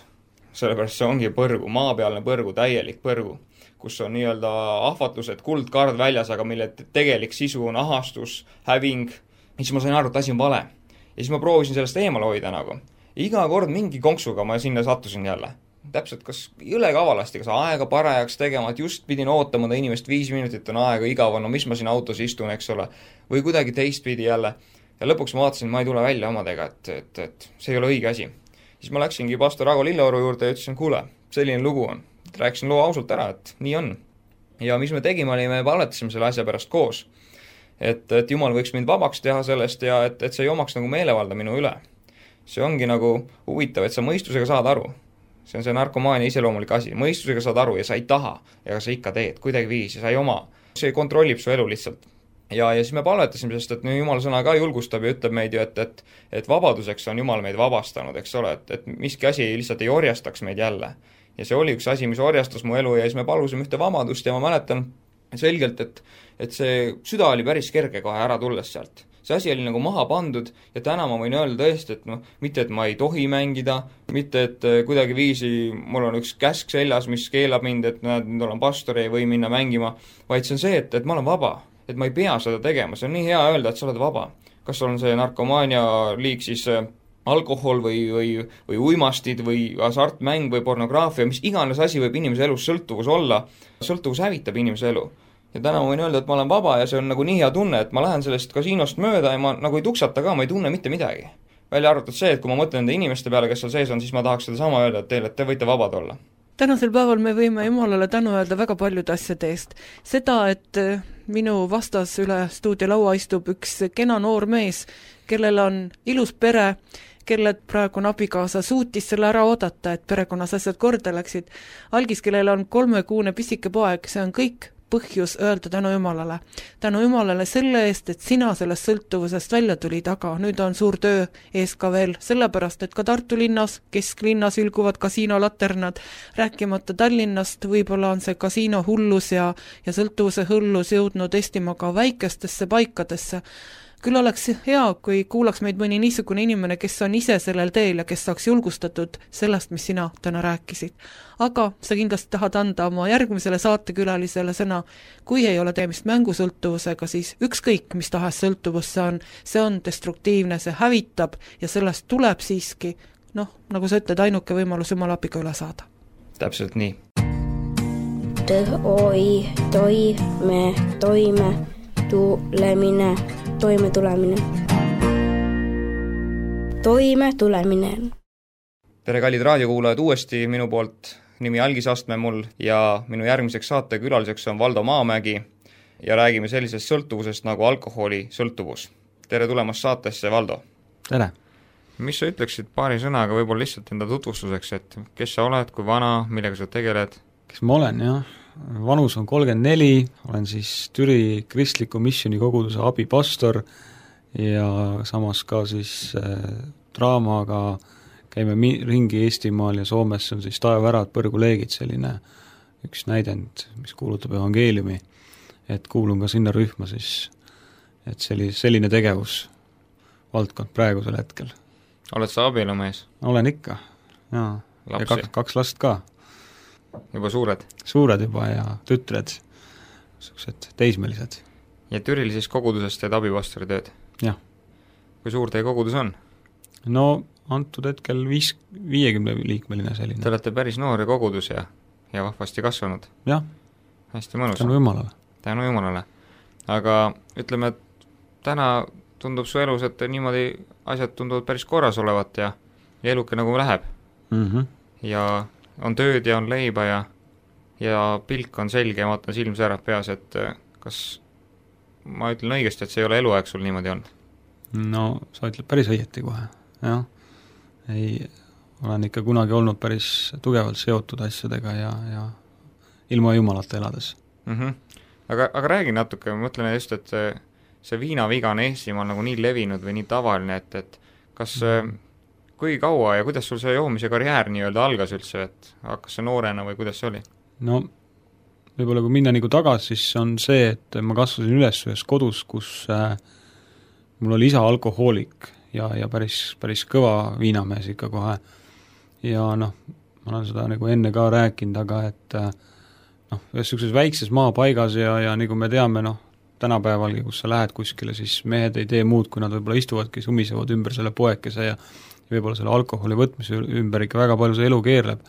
Sellepärast see ongi põrgu, maapealne põrgu, täielik põrgu, kus on nii-öelda ahvatlused, kuldkard väljas, aga mille tegelik sisu on ahastus, häving. Ja siis ma sain aru, et asi on vale. Ja siis ma proovisin sellest eemal hoida nagu. Ja iga kord mingi konksuga ma sinna sattusin jälle. Täpselt, kas jõle kavalasti, kas aega parajaks tegema, et just pidin ootama ta inimest viis minutit on aega igav, no mis ma siin autos istun, eks ole, või kuidagi teistpidi jälle. Ja lõpuks ma vaatasin, ma ei tule välja omadega, et, et, et see ei ole õige asi. Siis ma läksingi pastor Ago Lilleoru juurde ja ütlesin, kuule, selline lugu on. Rääkisin loo ausalt ära, et nii on. Ja mis me tegime, oli, me palvetasime selle asja pärast koos. Et, et Jumal võiks mind vabaks teha sellest ja et, et see ei omaks nagu meelevalda minu üle. See ongi nagu huvitav, et sa mõistusega saad aru. See on see narkomaania iseloomulik asi. Mõistusega saad aru ja sa ei taha ja sa ikka teed kuidagi viis ja sa ei oma. See kontrollib su elu lihtsalt. Ja, ja siis me palvetasime, sest et Jumala sõna ka julgustab ja ütleb meid ju, et, et, et vabaduseks on Jumal meid vabastanud, eks ole, et, et miski asi lihtsalt ei orjastaks meid jälle. Ja see oli üks asi, mis orjastas mu elu ja siis me palusime ühte vabadust ja ma mäletan selgelt, et, et see süda oli päris kerge kohe ära tulles sealt. See asi oli nagu maha pandud ja täna ma võin öelda tõesti, et noh, mitte et ma ei tohi mängida, mitte et kuidagi viisi mul on üks käsk seljas, mis keelab mind, et näed, nüüd olen pastor ja ei või minna mängima, vaid see on see, et, et ma olen vaba. Et ma ei pea seda tegema, see on nii hea öelda, et sa oled vaba. Kas on see narkomaania liik siis alkohol või, või, või uimastid või hasartmäng või pornograafia, mis iganes asi võib inimese elus sõltuvus olla, sõltuvus hävitab inimese elu. Ja täna ma võin öelda, et ma olen vaba ja see on nagu nii hea tunne, et ma lähen sellest kasiinost mööda ja ma nagu ei tuksata ka, ma ei tunne mitte midagi. Välja arvatud see, et kui ma mõtlen nende inimeste peale, kes seal sees on, siis ma tahaks seda sama öelda, et teile, et te võite vabad olla. Tänasel päeval me võime Jumalale tänu öelda väga paljude asjade eest. Seda, et minu vastas üle stuudiolaua istub üks kena noor mees, kellel on ilus pere, kelle praegu on abikaasa, suutis selle ära oodata, et perekonnas asjad korda läksid. Algis, kellel on kolmekuune pisike poeg, see on kõik põhjus öelda tänu Jumalale. Tänu Jumalale selle eest, et sina sellest sõltuvusest välja tulid, aga nüüd on suur töö ees ka veel, sellepärast, et ka Tartu linnas, kesklinnas ülguvad kasiinolaternad, rääkimata Tallinnast, võib-olla on see kasiino hullus ja, ja sõltuvuse hullus jõudnud Eestimaa ka väikestesse paikadesse. Küll oleks hea, kui kuulaks meid mõni niisugune inimene, kes on ise sellel teel ja kes saaks julgustatud sellest, mis sina täna rääkisid. Aga sa kindlasti tahad anda oma järgmisele saatekülalisele sõna, kui ei ole teemist mängusõltuvusega, siis ükskõik, mis tahes sõltuvus see on, see on destruktiivne, see hävitab ja sellest tuleb siiski, noh, nagu sa ütled, ainuke võimalus Jumala abiga üle saada. Täpselt nii. Tõh, oi, toi, me, toime, tulemine, toime tulemine. Toime tulemine. Tere kallid raadiokuulajad, uuesti minu poolt nimi Algis Astme mul ja minu järgmiseks saate külaliseks on Valdo Maamägi ja räägime sellisest sõltuvusest nagu alkoholi sõltuvus. Tere tulemast saatesse, Valdo. Tere. Mis sa ütleksid paari sõnaga võib-olla lihtsalt enda tutvustuseks, et kes sa oled, kui vana, millega sa tegeled? Kes ma olen, jah? Vanus on kolmkümmend neli, olen siis Türi kristliku missiooni koguduse abipastor ja samas ka siis äh, draamaga käime mi- ringi Eestimaal ja Soomes on siis Taevärad, põrguleegid, selline üks näidend, mis kuulutab evangeeliumi, et kuulun ka sinna rühma siis, et selline, selline tegevus valdkond praegusel hetkel. Oled sa abielumees? Olen ikka. jaa, ja lapsi. kaks, kaks last ka. Juba suured? Suured juba ja tütred, sellised teismelised. Ja Türil siis kogudusest teed abipastori tööd? Jah. Kui suur teie kogudus on? No antud hetkel viis, viiekümne liikmeline selline. Te olete päris noori kogudus ja, ja vahvasti kasvanud? Jah. Hästi mõnus. Tänu Jumalale. Tänu Jumalale. Aga ütleme, et täna tundub su elus, et niimoodi asjad tunduvad päris korras olevat ja, ja eluke nagu läheb. Mm-hmm. Ja on tööd ja on leiba ja, ja pilk on selge ja vaatan silm särab peas, et kas ma ütlen õigesti, et see ei ole eluaeg sul niimoodi olnud? No sa ütled päris õieti kohe, jah. Ei, olen ikka kunagi olnud päris tugevalt seotud asjadega ja, ja ilma Jumalata elades. Mm-hmm. Aga, aga räägi natuke, ma mõtlen just, et see, see viinaviga on Eestimaal nagu nii levinud või nii tavaline, et, et kas mm. kui kaua ja kuidas sul see joomise karjäär nii-öelda algas üldse, et hakkas see noorena või kuidas see oli? No võib-olla kui minna nagu tagasi, siis on see, et ma kasvasin üles ühes kodus, kus äh, mul oli isa alkohoolik ja, ja päris, päris kõva viinamees ikka kohe. Ja noh, ma olen seda nagu enne ka rääkinud, aga et äh, noh, ühes sellises väikses maapaigas ja, ja nagu me teame, noh, tänapäevalgi, kus sa lähed kuskile, siis mehed ei tee muud, kui nad võib-olla istuvadki, sumisevad ümber selle poekese ja võib-olla selle alkoholi võtmise ümber ikka väga palju see elu keerleb.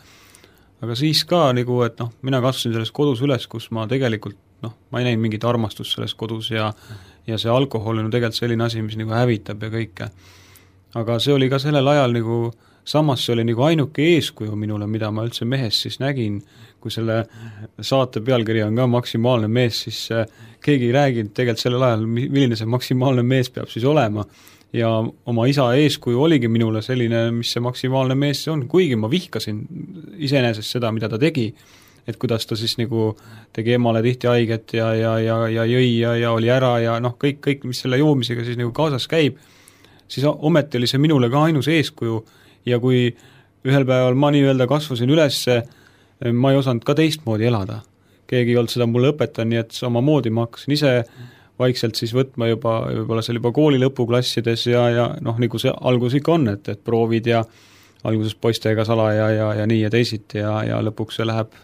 Aga siis ka, nagu, et noh, mina kasvasin selles kodus üles, kus ma tegelikult, noh, ma ei näinud mingit armastust selles kodus ja, ja see alkohol on tegelikult selline asi, mis nagu hävitab ja kõike. Aga see oli ka sellel ajal nagu, samas see oli nagu ainuke eeskuju minule, mida ma üldse mehes siis nägin, kui selle saate pealkiri on ka maksimaalne mees, siis keegi ei rääginud tegelikult sellel ajal, milline see maksimaalne mees peab siis olema. Ja oma isa eeskuju oligi minule selline, mis see maksimaalne mees on, kuigi ma vihkasin iseenesest seda, mida ta tegi, et kuidas ta siis nagu tegi emale tihti haiget ja, ja, ja, ja jõi ja, ja oli ära ja noh, kõik, kõik, mis selle joomisega siis nagu kaasas käib, siis ometi oli see minule ka ainus eeskuju ja kui ühel päeval ma nii-öelda kasvasin ülesse, ma ei osanud ka teistmoodi elada. Keegi ei olnud seda mulle õpetanud, nii et oma moodi ma hakkasin ise vaikselt siis võtma juba, võib-olla seal juba kooli lõpuklassides ja, ja noh, nagu see algus ikka on, et, et proovid ja alguses poistega sala ja, ja, ja nii ja teisiti ja, ja lõpuks see läheb,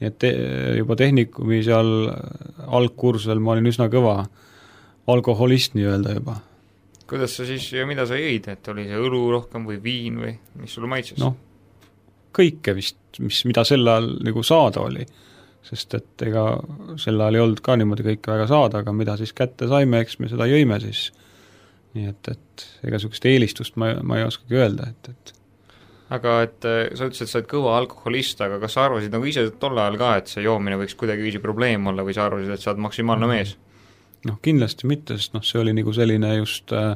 nii et te, juba tehnikumi seal algkursusel ma olin üsna kõva alkoholist nii-öelda juba. Kuidas sa siis ja mida sa jõid, et oli see õlu rohkem või viin või mis sulle maitses? Noh, kõike vist, mis, mida sel ajal nagu saada oli. Sest et ega sel ajal ei olnud ka niimoodi kõike väga saada, aga mida siis kätte saime, eks me seda jõime siis. Nii et, et ega sellist eelistust ma, ma ei oskagi öelda, et, et aga et sa ütlesid, et sa oled kõva alkoholist, aga kas sa arvasid nagu ise tol ajal ka, et see joomine võiks kuidagi viisi probleem olla või sa arvasid, et sa oled maksimaalne mees? Noh, kindlasti mitte, sest noh, see oli nagu selline just äh,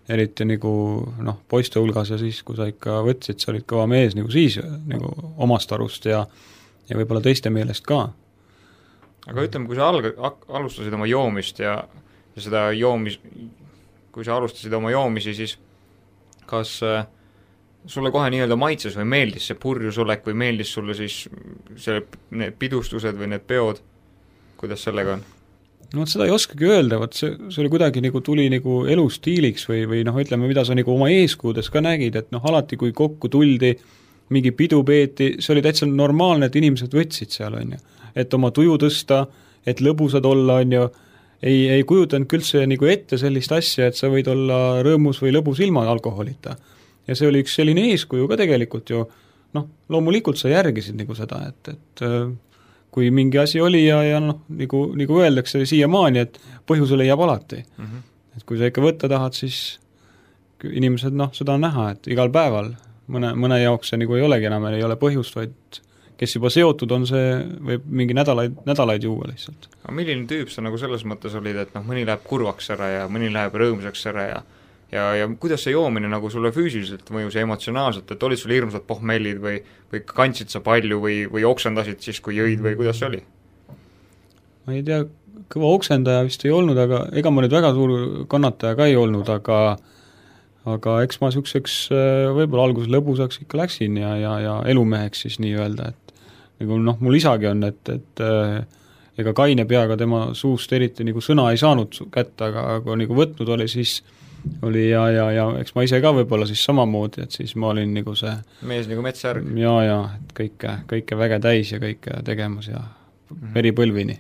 eriti nagu noh, poiste hulgas ja siis, kui sa ikka võtsid, sa olid kõva mees nagu siis nagu omast arust ja ja võib-olla teiste meelest ka. Aga ütleme, kui sa alg- alustasid oma joomist ja, ja seda joomis, kui sa alustasid oma joomisi, siis kas äh, sulle kohe nii-öelda maitses või meeldis see purjusolek või meeldis sulle siis see, need pidustused või need peod, kuidas sellega on? No seda ei oskagi öelda, vaat see, see oli kuidagi nagu tuli nagu elustiiliks või, või noh, ütleme, mida sa nagu oma eeskuudes ka nägid, et noh, alati kui kokku tuldi, mingi pidu peeti, see oli täitsa normaalne, et inimesed võtsid seal, on ju. Et oma tuju tõsta, et lõbusad olla, on ju, ei, ei kujutanud küldse nagu ette sellist asja, et sa võid olla rõõmus või lõbus ilma alkoholita. Ja see oli üks selline eeskuju ka tegelikult ju, noh, loomulikult sa järgisid nagu seda, et, et kui mingi asi oli ja, ja noh, nagu, nagu öeldakse siiamaani, et põhjuse leiab alati. Mm-hmm. Et kui sa ikka võtta tahad, siis inimesed, noh, seda on näha, et igal päeval mõne, mõne jaoks see nagu ei olegi enam, ei ole põhjust, vaid kes juba seotud on, see võib mingi nädalaid, nädalaid juua lihtsalt. Aga milline tüüp sa nagu selles mõttes olid, et noh, mõni läheb kurvaks ära ja mõni läheb rõõmsaks ära ja ja, ja kuidas see joomine nagu sulle füüsiliselt mõjus ja emotsionaalselt, et olid sul hirmsad pohmellid või, või kandsid sa palju või, või oksendasid siis, kui jõid või kuidas see oli? Ma ei tea, kõva oksendaja vist ei olnud, aga ega ma nüüd väga suur kannataja ka ei olnud, aga aga eks ma niisuguseks võib-olla alguses lõbusaks ikka läksin ja, ja, ja elumeheks siis nii-öelda, et nagu noh, mul isagi on, et, et ega kaine peaga tema suust eriti nagu sõna ei saanud kätte, aga kui nagu võtnud oli, siis oli ja, ja, ja eks ma ise ka võib-olla siis samamoodi, et siis ma olin nagu see mees nagu metsärg. ja, ja, et kõike, kõike väge täis ja kõike tegemas ja mm-hmm. veripõlvini.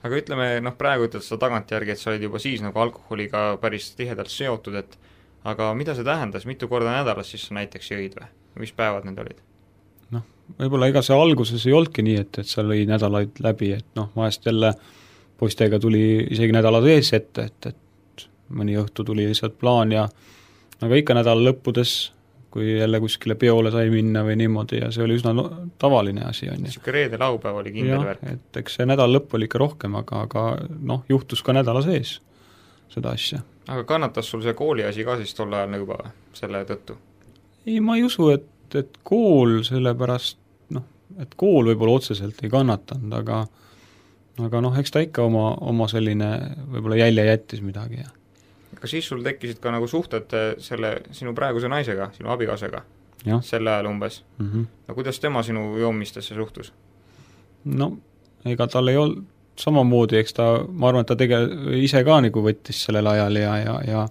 Aga ütleme, noh praegu ütled seda tagantjärgi, et sa olid juba siis nagu alkoholiga päris tihedalt seotud, et aga mida see tähendas, mitu korda nädalas siis sa näiteks jõid või? Mis päevad need olid? Noh, võib-olla ega see alguses ei olnudki nii, et, et sa lõi nädalaid läbi, et noh, vahest jälle poistega tuli isegi nädala sees ette, et, et mõni õhtu tuli lihtsalt plaan ja aga ikka nädala lõppudes, kui jälle kuskile peole sai minna või niimoodi ja see oli üsna no, tavaline asi. Siuke reede laupäev oli kindel värk. Et eks see nädal lõpp oli ikka rohkem, aga, aga noh, juhtus ka nädala sees seda asja. Aga kannatas sul see kooli asi ka siis tol ajal juba selle tõttu? Ei, ma ei usu, et, et kool sellepärast, noh, et kool võib-olla otseselt ei kannatanud, aga aga noh, eks ta ikka oma, oma selline võib-olla jälje jättis midagi. Ja. Aga siis sul tekkisid ka nagu suhted selle sinu praeguse naisega, sinu abikaasega, selle ajal umbes. Mm-hmm. No kuidas tema sinu joomistesse suhtus? No, ega tal ei olnud samamoodi, eks ta, ma arvan, et ta tege, ise ka nagu võttis sellel ajal ja, ja, ja,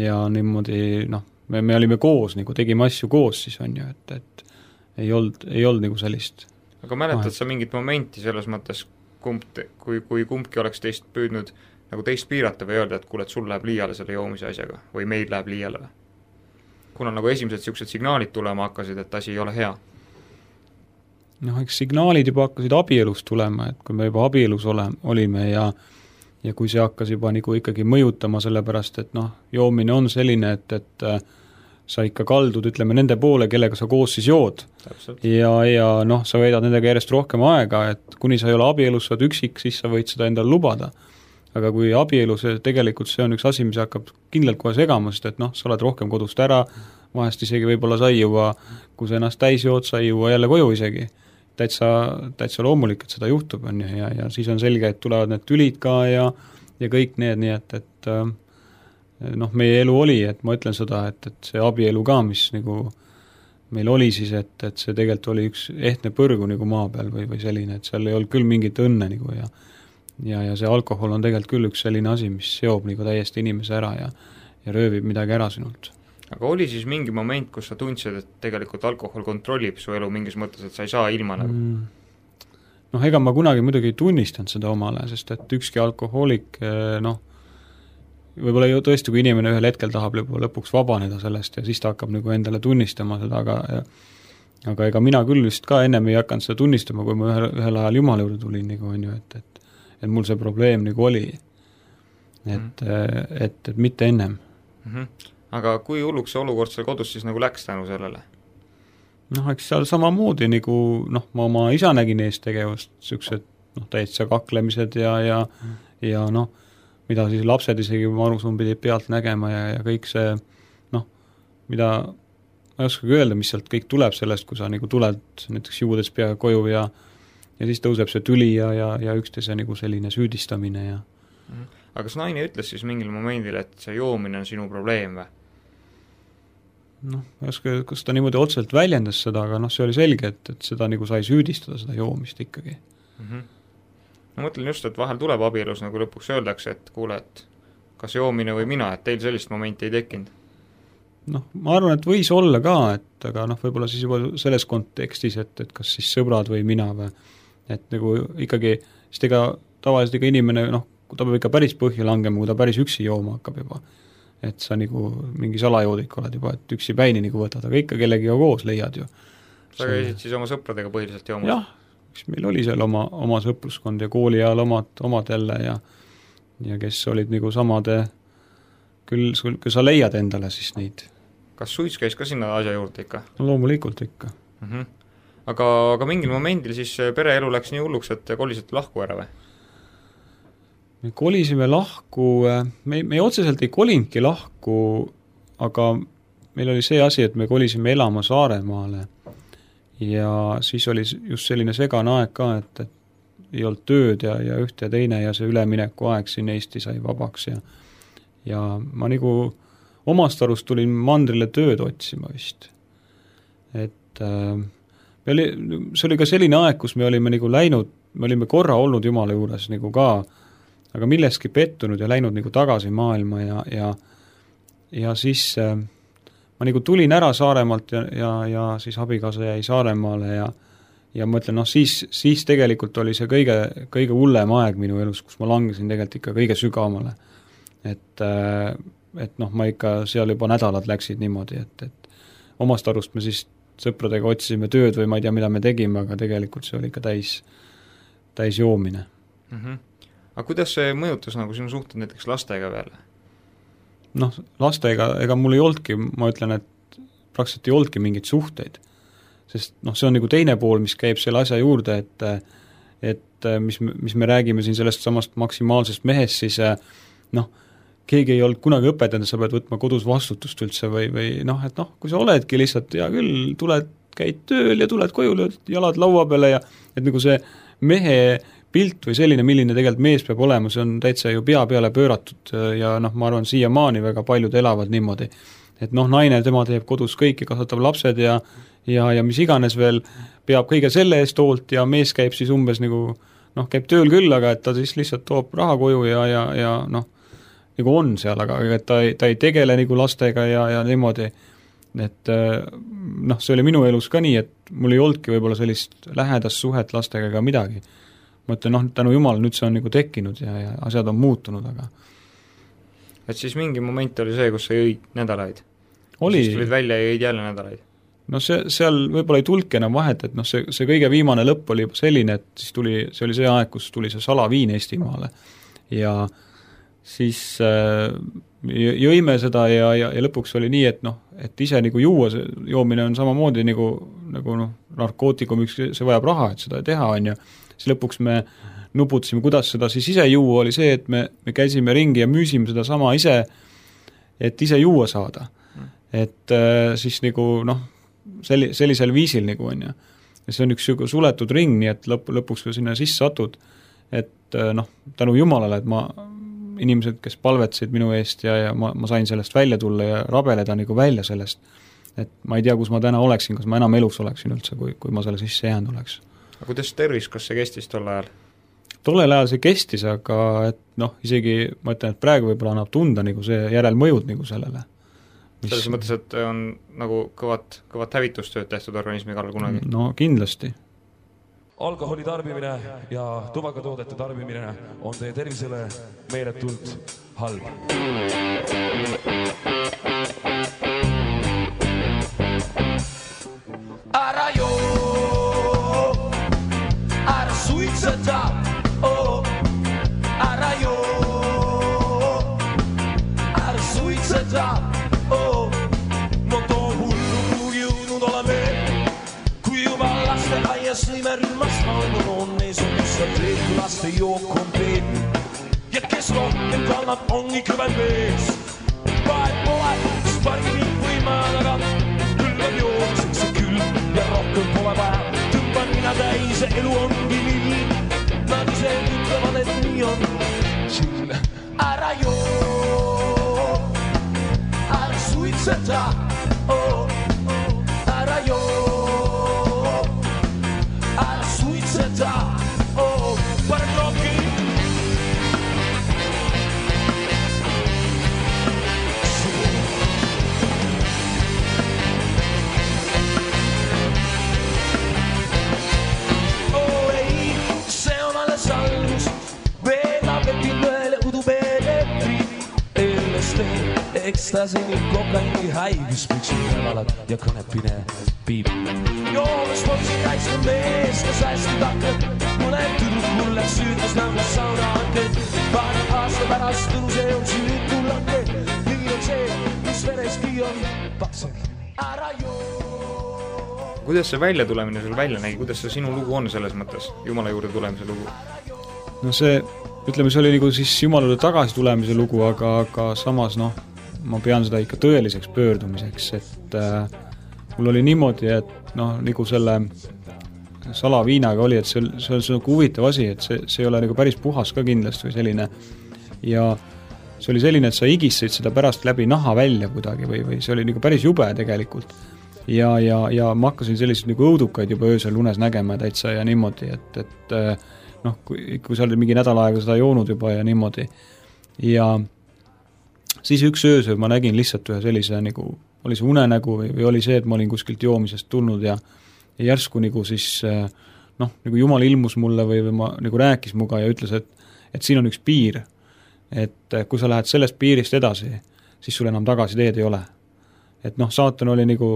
ja niimoodi, noh, me, me olime koos, nagu tegime asju koos siis on ju, et, et ei olnud, ei olnud nagu sellist. Aga mäletad sa mingit momenti selles mõttes, kumb, kui, kui kumbki oleks teist püüdnud nagu teist piirata või öelda, et kuule, et sul läheb liiale selle joomise asjaga või meil läheb liiale või? Kuna nagu esimesed siuksed signaalid tulema hakkasid, et asi ei ole hea? Noh, eks signaalid juba hakkasid abielus tulema, et kui me juba abielus ole, olime ja ja kui see hakkas juba nagu ikkagi mõjutama sellepärast, et noh, joomine on selline, et, et sa ikka kaldud, ütleme, nende poole, kellega sa koos siis jood. Täpselt. Ja, ja noh, sa veedad nendega järjest rohkem aega, et kuni sa ei ole abielus, sa oled üksik, siis sa võid seda endale lubada. Aga kui abielus, tegelikult see on üks asi, mis hakkab kindlalt kohe segama, sest et noh, sa oled rohkem kodust ära, vahest isegi võib-olla sa ei jõua, kui sa ennast täis jood, sa ei jõua jälle koju isegi. Täitsa, täitsa loomulik, et seda juhtub, on ju, ja, ja siis on selge, et tulevad need tülid ka ja, ja kõik need, nii et, et noh, meie elu oli, et ma ütlen seda, et, et see abielu ka, mis nagu meil oli siis, et, et see tegelikult oli üks ehtne põrgu nagu maa peal või, või selline, et seal ei olnud küll mingit õnne nagu ja ja, ja see alkohol on tegelikult küll üks selline asi, mis seob nagu täiesti inimese ära ja, ja röövib midagi ära sinult. Aga oli siis mingi moment, kus sa tundsid, et tegelikult alkohol kontrollib su elu mingis mõttes, et sa ei saa ilma nagu? Mm. Noh, ega ma kunagi muidugi ei tunnistanud seda omale, sest et ükski alkohoolik, noh, võib-olla ju tõesti, kui inimene ühel hetkel tahab lõpuks vabaneda sellest ja siis ta hakkab nagu endale tunnistama seda, aga aga ega mina küll vist ka ennem ei hakanud seda tunnistama, kui ma ühel, ühel ajal Jumala juurde tulin, nagu on ju, et, et, et mul see probleem nagu oli. Et, mm-hmm. et, et mitte ennem. Mm-hmm. Aga kui hulluks see olukord seal kodus siis nagu läks tänu sellele? Noh, eks seal samamoodi nagu, noh, ma oma isa nägin eest tegevust, siuksed, noh, täitsa kaklemised ja, ja, mm. ja noh, mida siis lapsed isegi marusun pidi pealt nägema ja, ja kõik see, noh, mida ma ei oskagi öelda, mis sealt kõik tuleb sellest, kui sa nagu tuled näiteks juudes pea koju ja, ja siis tõuseb see tüli ja, ja, ja üksteise nagu selline süüdistamine ja mm. Aga kas naine ütles siis mingil momendil, et see joomine on sinu probleem või? Noh, ma ei oska, kas ta niimoodi otseselt väljendas seda, aga noh, see oli selge, et, et seda nagu sai süüdistada, seda joomist ikkagi. Mm-hmm. Ma mõtlen just, et vahel tuleb abielus nagu lõpuks öeldakse, et kuule, et kas joomine või mina, et teil sellist momenti ei tekkinud? Noh, ma arvan, et võis olla ka, et aga noh, võib-olla siis juba selles kontekstis, et, et kas siis sõbrad või mina või, et nagu ikkagi, sest ega tavaliselt ega inimene, noh, kui ta peab ikka päris põhja langema, kui ta päris üksi jooma hakkab juba, et sa nagu mingi salajoodik oled juba, et üksi päini nagu võtad, aga ikka kellegiga koos leiad ju. Sa käisid siis oma sõpradega põhiliselt joomas? Jah, meil oli seal oma, oma sõpruskond ja kooli ajal omad, omad jälle ja ja kes olid nagu samade, küll, küll sa leiad endale siis neid. Kas suits käis ka sinna asja juurde ikka? No loomulikult ikka. Mm-hmm. Aga, aga mingil momendil siis pereelu läks nii hulluks, et kolisite lahku ära või? Me kolisime lahku, me, me otseselt ei kolinudki lahku, aga meil oli see asi, et me kolisime elama Saaremaale ja siis oli just selline segane aeg ka, et, et ei olnud tööd ja, ja ühte ja teine ja see ülemineku aeg siin Eesti sai vabaks ja ja ma nagu omast arust tulin mandrile tööd otsima vist. Et äh, me oli, see oli ka selline aeg, kus me olime nagu läinud, me olime korra olnud Jumala juures nagu ka, aga milleski pettunud ja läinud nagu tagasi maailma ja, ja ja siis äh, ma nagu tulin ära Saaremaalt ja, ja, ja siis abikaasa jäi Saaremaale ja ja ma ütlen, noh, siis, siis tegelikult oli see kõige, kõige hullem aeg minu elus, kus ma langesin tegelikult ikka kõige sügavamale. Et, et noh, ma ikka seal juba nädalad läksid niimoodi, et, et omast arust me siis sõpradega otsisime tööd või ma ei tea, mida me tegime, aga tegelikult see oli ikka täis, täis joomine. Mm-hmm. Aga kuidas see mõjutas nagu sinu suhted näiteks lastega veel? Noh, lastega, ega mul ei oldki, ma ütlen, et praktiliselt ei oldki mingeid suhteid. Sest noh, see on nagu teine pool, mis käib selle asja juurde, et, et mis, mis me räägime siin sellest samast maksimaalsest mehest, siis noh, keegi ei olnud kunagi õpetanud, sa pead võtma kodus vastutust üldse või, või noh, et noh, kui sa oledki lihtsalt, ja küll, tuled, käid tööl ja tuled koju, lööd jalad laua peale ja et nagu see mehe pilt või selline, milline tegelikult mees peab olema, see on täitsa ju pea peale pööratud ja noh, ma arvan, siiamaani väga paljud elavad niimoodi. Et noh, naine, tema teeb kodus kõik ja kasvatab lapsed ja ja, ja mis iganes veel peab kõige selle eest hoolt ja mees käib siis umbes nagu, noh, käib tööl küll, aga et ta siis lihtsalt toob raha koju ja, ja, ja noh, nagu on seal, aga et ta ei, ta ei tegele nagu lastega ja, ja niimoodi, et noh, see oli minu elus ka nii, et mul ei oldki võib-olla sellist lähedast suhet lastega ega midagi. Ma ütlen, noh, tänu Jumal, nüüd see on nagu tekkinud ja, ja asjad on muutunud, aga et siis mingi moment oli see, kus sa jõid nädalaid? Oli. Siis tulid välja ja jõid jälle nädalaid? No see, seal võib-olla ei tulke enam vahet, et noh, see, see kõige viimane lõpp oli selline, et siis tuli, see oli see aeg, kus tuli see salaviin Eestimaale ja siis äh, jõime seda ja, ja, ja lõpuks oli nii, et noh, et ise nagu juua, see joomine on samamoodi nagu, nagu noh, narkootikum, üks, see vajab raha, et seda teha on ja siis lõpuks me nuputasime, kuidas seda siis ise juua, oli see, et me, me käisime ringi ja müüsime seda sama ise, et ise juua saada. Et äh, siis nagu noh, Selli, sellisel viisil nagu on ja. ja see on üks suletud ring, nii et lõpp, lõpuks kui sinna sisse satud, et noh, tänu Jumalale, et ma, inimesed, kes palvetasid minu eest ja, ja ma, ma sain sellest välja tulla ja rabeleda nagu välja sellest, et ma ei tea, kus ma täna oleksin, kas ma enam elus oleksin üldse, kui, kui ma selle sisse jäänud oleks. Aga kuidas tervis, kas see kestis tol ajal? Tollel ajal see kestis, aga et noh, isegi ma ütlen, et praegu võib-olla annab tunda nagu see järelmõjud nagu sellele. Mis... selles mõttes, et on nagu kõvat, kõvat hävitustööd tehtud organismi kallal kunagi? No kindlasti. Alkoholi tarbimine ja tubakatoodete tarbimine on teie tervisele meeletult halb. Ära joo, ära suitseta, oh, ära joo, ära suitseta. Oh, no too hullu kuhugi jõudnud oleme, kui juba laste aias lõime rühmast maailma on ees on just teed, kui laste jook on peet. Ja kes rohkem kannab, ongi kõven mees. Vahet pole, kus pargi viib või maa taga, küll on jookseks see külm ja rohkem pole vaja. Tõmban mina täise, elu ongi nii, nad ise ütlevad, et nii on. Ära joo, ära suitseta, oh, ära joo, ära suitseta, oh, pane klokki. Oh ei, see on alles algus, veel abetin ühele udupeeletri, L S D. Ekstasini, kokaini, haigus, püksid nädalad ja kõnepine piib. Joomes poisi kaitsnud mees, kes hästi takkad, mõned tüdruk mulle süütas nõugas sauna hanked. Paar aasta pärast tõnu see on süütulange, nii on see, mis vereski on pakser. Ära joo. Kuidas see välja tulemine sul välja nägi, kuidas see sinu lugu on selles mõttes, Jumala juurde tulemise lugu? No see, ütleme, see oli nagu siis Jumala juurde tagasi tulemise lugu, aga, aga samas noh, ma pean seda ikka tõeliseks pöördumiseks, et äh, mul oli niimoodi, et noh, nagu selle salaviinaga oli, et see, see on see huvitav asi, et see, see ei ole nagu päris puhas ka kindlasti või selline ja see oli selline, et sa igistasid seda pärast läbi naha välja kuidagi või, või see oli nagu päris jube tegelikult ja, ja, ja ma hakkasin selliseid nagu õudukaid juba öösel unes nägema täitsa ja niimoodi, et, et noh, kui, kui sa olid mingi nädal aega seda joonud juba ja niimoodi ja siis üks öösöö ma nägin lihtsalt ühe sellise nagu, oli see unenägu või, või oli see, et ma olin kuskilt joomisest tulnud ja, ja järsku nagu siis noh, nagu Jumal ilmus mulle või, või ma nagu rääkis muga ja ütles, et, et siin on üks piir, et kui sa lähed sellest piirist edasi, siis sul enam tagasi teed ei ole. Et noh, saatan oli nagu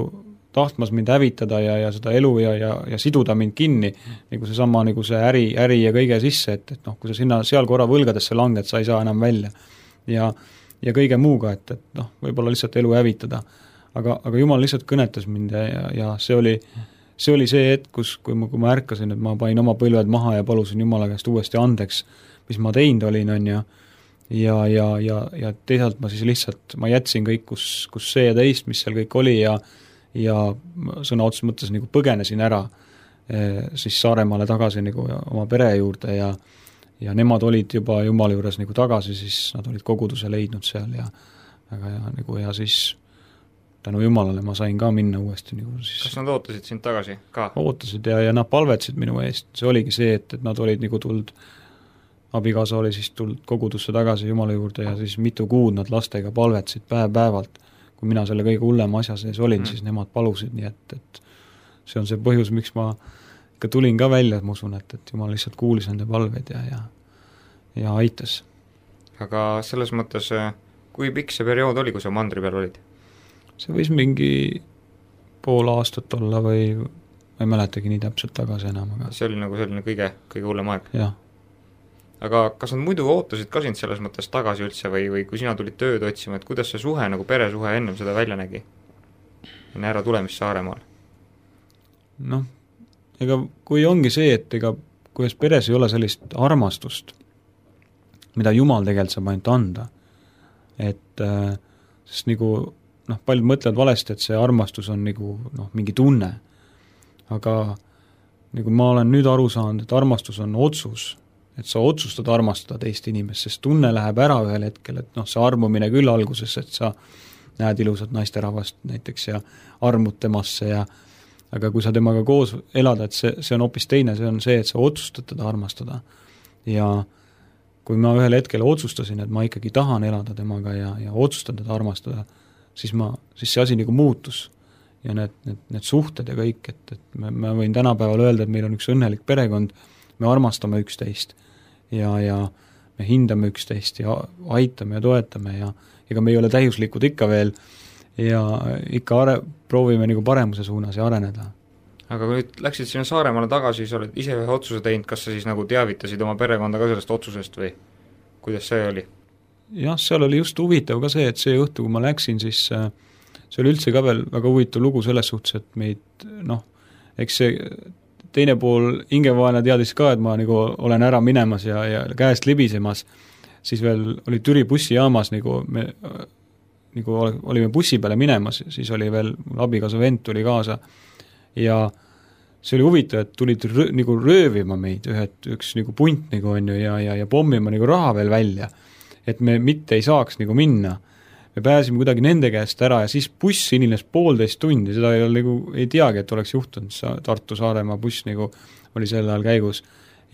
tahtmas mind hävitada ja, ja seda elu ja, ja, ja siduda mind kinni, nagu see sama nagu see äri, äri ja kõige sisse, et, et noh, kui sa sinna seal korra võlgadesse langed, sa ei saa enam välja. Ja, ja kõige muuga, et, et noh, võib-olla lihtsalt elu hävitada. Aga, aga Jumal lihtsalt kõnetas mind ja, ja, ja see oli see oli see hetk, kus, kui ma, kui ma ärkasin, et ma pain oma põlved maha ja palusin Jumala käest uuesti andeks, mis ma teinud olin, on ja ja, ja, ja, ja teisalt ma siis lihtsalt, ma jätsin kõik, kus, kus see ja teist, mis seal kõik oli ja ja sõna otseses mõttes nagu põgenesin ära siis Saaremaale tagasi nagu oma pere juurde ja ja nemad olid juba Jumala juures nagu tagasi, siis nad olid koguduse leidnud seal ja aga ja nagu ja siis tänu Jumalale ma sain ka minna uuesti nagu siis. Kas nad ootasid sind tagasi ka? Ootasid ja, ja nad palvetsid minu eest, see oligi see, et, et nad olid nagu tuld, abikaasa oli siis tuld kogudusse tagasi Jumala juurde ja siis mitu kuud nad lastega palvetsid päev päevalt, kui mina selle kõige hullema asja sees olin mm., siis nemad palusid, nii et, et see on see põhjus, miks ma ikka tulin ka välja, ma usun, et, et Jumal lihtsalt kuulis nende palveid ja, ja, ja aitas. Aga selles mõttes, kui pikk see periood oli, kui sa mandri peal olid? See võis mingi pool aastat olla või ma ei mäletagi nii täpselt tagasi enam. Aga... see oli nagu selline kõige, kõige hullem aeg? Jah. Aga kas nad muidu ootasid ka sind selles mõttes tagasi üldse või, või kui sina tulid tööd otsima, et kuidas see suhe, nagu peresuhe ennem seda välja nägi? Enne ära tulemist Saaremaal? Noh, ega kui ongi see, et ega kuidas peres ei ole sellist armastust, mida Jumal tegelikult saab ainult anda, et äh, sest nagu noh, paljud mõtlevad valesti, et see armastus on nagu noh, mingi tunne, aga nagu ma olen nüüd aru saanud, et armastus on otsus, et sa otsustad armastada teist inimest, sest tunne läheb ära ühel hetkel, et noh, see armumine küll alguses, et sa näed ilusat naisterahvast näiteks ja armud temasse ja aga kui sa temaga koos elada, et see, see on hoopis teine, see on see, et sa otsustad teda armastada ja kui ma ühel hetkel otsustasin, et ma ikkagi tahan elada temaga ja, ja otsustan teda armastada, siis ma, siis see asi nagu muutus ja need, need, need suhted ja kõik, et, et me, me võin tänapäeval öelda, et meil on üks õnnelik perekond, me armastame üksteist ja, ja me hindame üksteist ja aitame ja toetame ja ega me ei ole täiuslikud ikka veel ja ikka are-, proovime nagu paremuse suunas ja areneda. Aga kui nüüd läksid sinna Saaremaale tagasi, sa oled ise ühe otsuse teinud, kas sa siis nagu teavitasid oma perekonda ka sellest otsusest või kuidas see oli? Jah, seal oli just huvitav ka see, et see õhtu, kui ma läksin, siis see oli üldse ka veel väga huvitav lugu selles suhtes, et meid, noh, eks see teine pool hingevaene teadis ka, et ma nagu olen ära minemas ja, ja käest libisemas, siis veel oli Türi bussijaamas, nagu me nagu olime bussi peale minemas, siis oli veel, mul abikaasa vend tuli kaasa ja see oli huvitav, et tulid rõ, nagu röövima meid ühed, üks nagu punt nagu on ju ja, ja, ja pommima nagu raha veel välja, et me mitte ei saaks nagu minna. Me pääsime kuidagi nende käest ära ja siis buss inines poolteist tundi, seda ei, nagu, ei teagi, et oleks juhtunud, Tartu-Saaremaa buss nagu oli sel ajal käigus.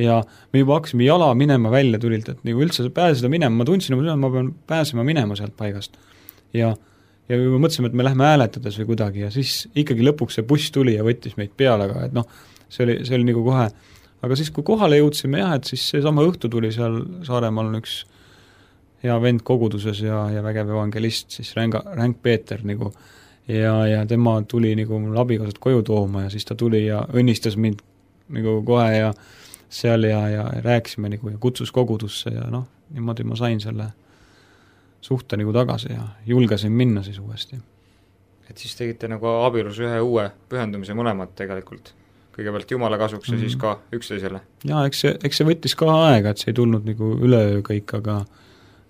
Ja me juba hakkasime jala minema välja tulilt, et nagu üldse pääseda minema, ma tundsin, et ma pean pääsema minema sealt paigast. Ja, ja me mõtlesime, et me lähme hääletades või kuidagi ja siis ikkagi lõpuks see buss tuli ja võttis meid peale, aga et noh, see oli, see oli nagu kohe, aga siis kui kohale jõudsime jah, et siis see sama õhtu tuli seal Saaremaal on üks hea vend koguduses ja, ja vägev evangelist, siis Ränga, Ränk Peeter nagu, ja, ja tema tuli nagu mul abikaasat koju tooma ja siis ta tuli ja õnnistas mind nagu kohe ja seal ja, ja rääkisime nagu ja kutsus kogudusse ja noh, niimoodi ma sain selle suhte nagu tagasi ja julgesin minna siis uuesti. Et siis tegite nagu abielus ühe uue pühendumise mõlemad tegelikult, kõigepealt Jumala kasuks ja mm. siis ka üksteisele? Jaa, eks see, eks see võttis ka aega, et see ei tulnud nagu üleöö kõik, aga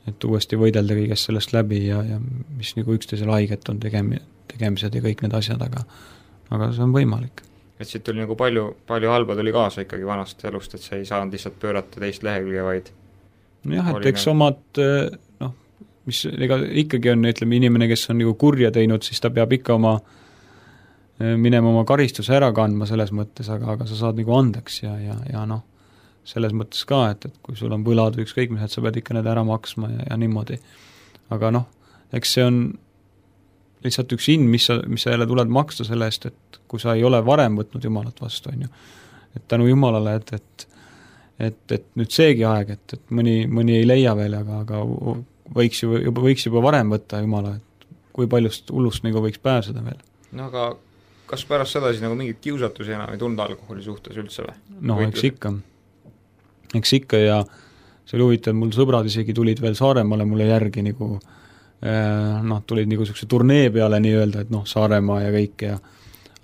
et uuesti võidelda kõigest sellest läbi ja, ja mis nagu üksteisele haiget on tegemi, tegemised ja kõik need asjad, aga, aga see on võimalik. Et siit tuli nagu palju, palju halba tuli kaasa ikkagi vanast elust, et see ei saanud lihtsalt pöörata teist lehekülge, vaid jah, et eks nagu... omad noh, mis ega ikkagi on, ütleme, inimene, kes on nagu kurja teinud, siis ta peab ikka oma minema oma karistuse ära kandma selles mõttes, aga, aga sa saad nagu andeks ja, ja, ja noh, selles mõttes ka, et, et kui sul on võlad või ükskõik mis, et sa pead ikka need ära maksma ja, ja niimoodi. Aga noh, eks see on lihtsalt üks hind, mis sa, mis sa jälle tuled maksta selle eest, et kui sa ei ole varem võtnud Jumalat vastu, on ju. Et tänu Jumalale, et, et, et, et nüüd seegi aeg, et, et mõni, mõni ei leia veel, aga, aga võiks ju, juba, võiks juba varem võtta Jumala, et kui paljust hullust nagu võiks pääseda veel. No aga kas pärast seda siis nagu mingit kiusatusi enam ei tulnud alkoholi suhtes üldse või? No eks ikka. Eks ikka ja see oli huvitav, mul sõbrad isegi tulid veel Saaremaale mulle järgi nagu noh, tulid nagu niisuguse turnee peale nii-öelda, et noh, Saaremaa ja kõik ja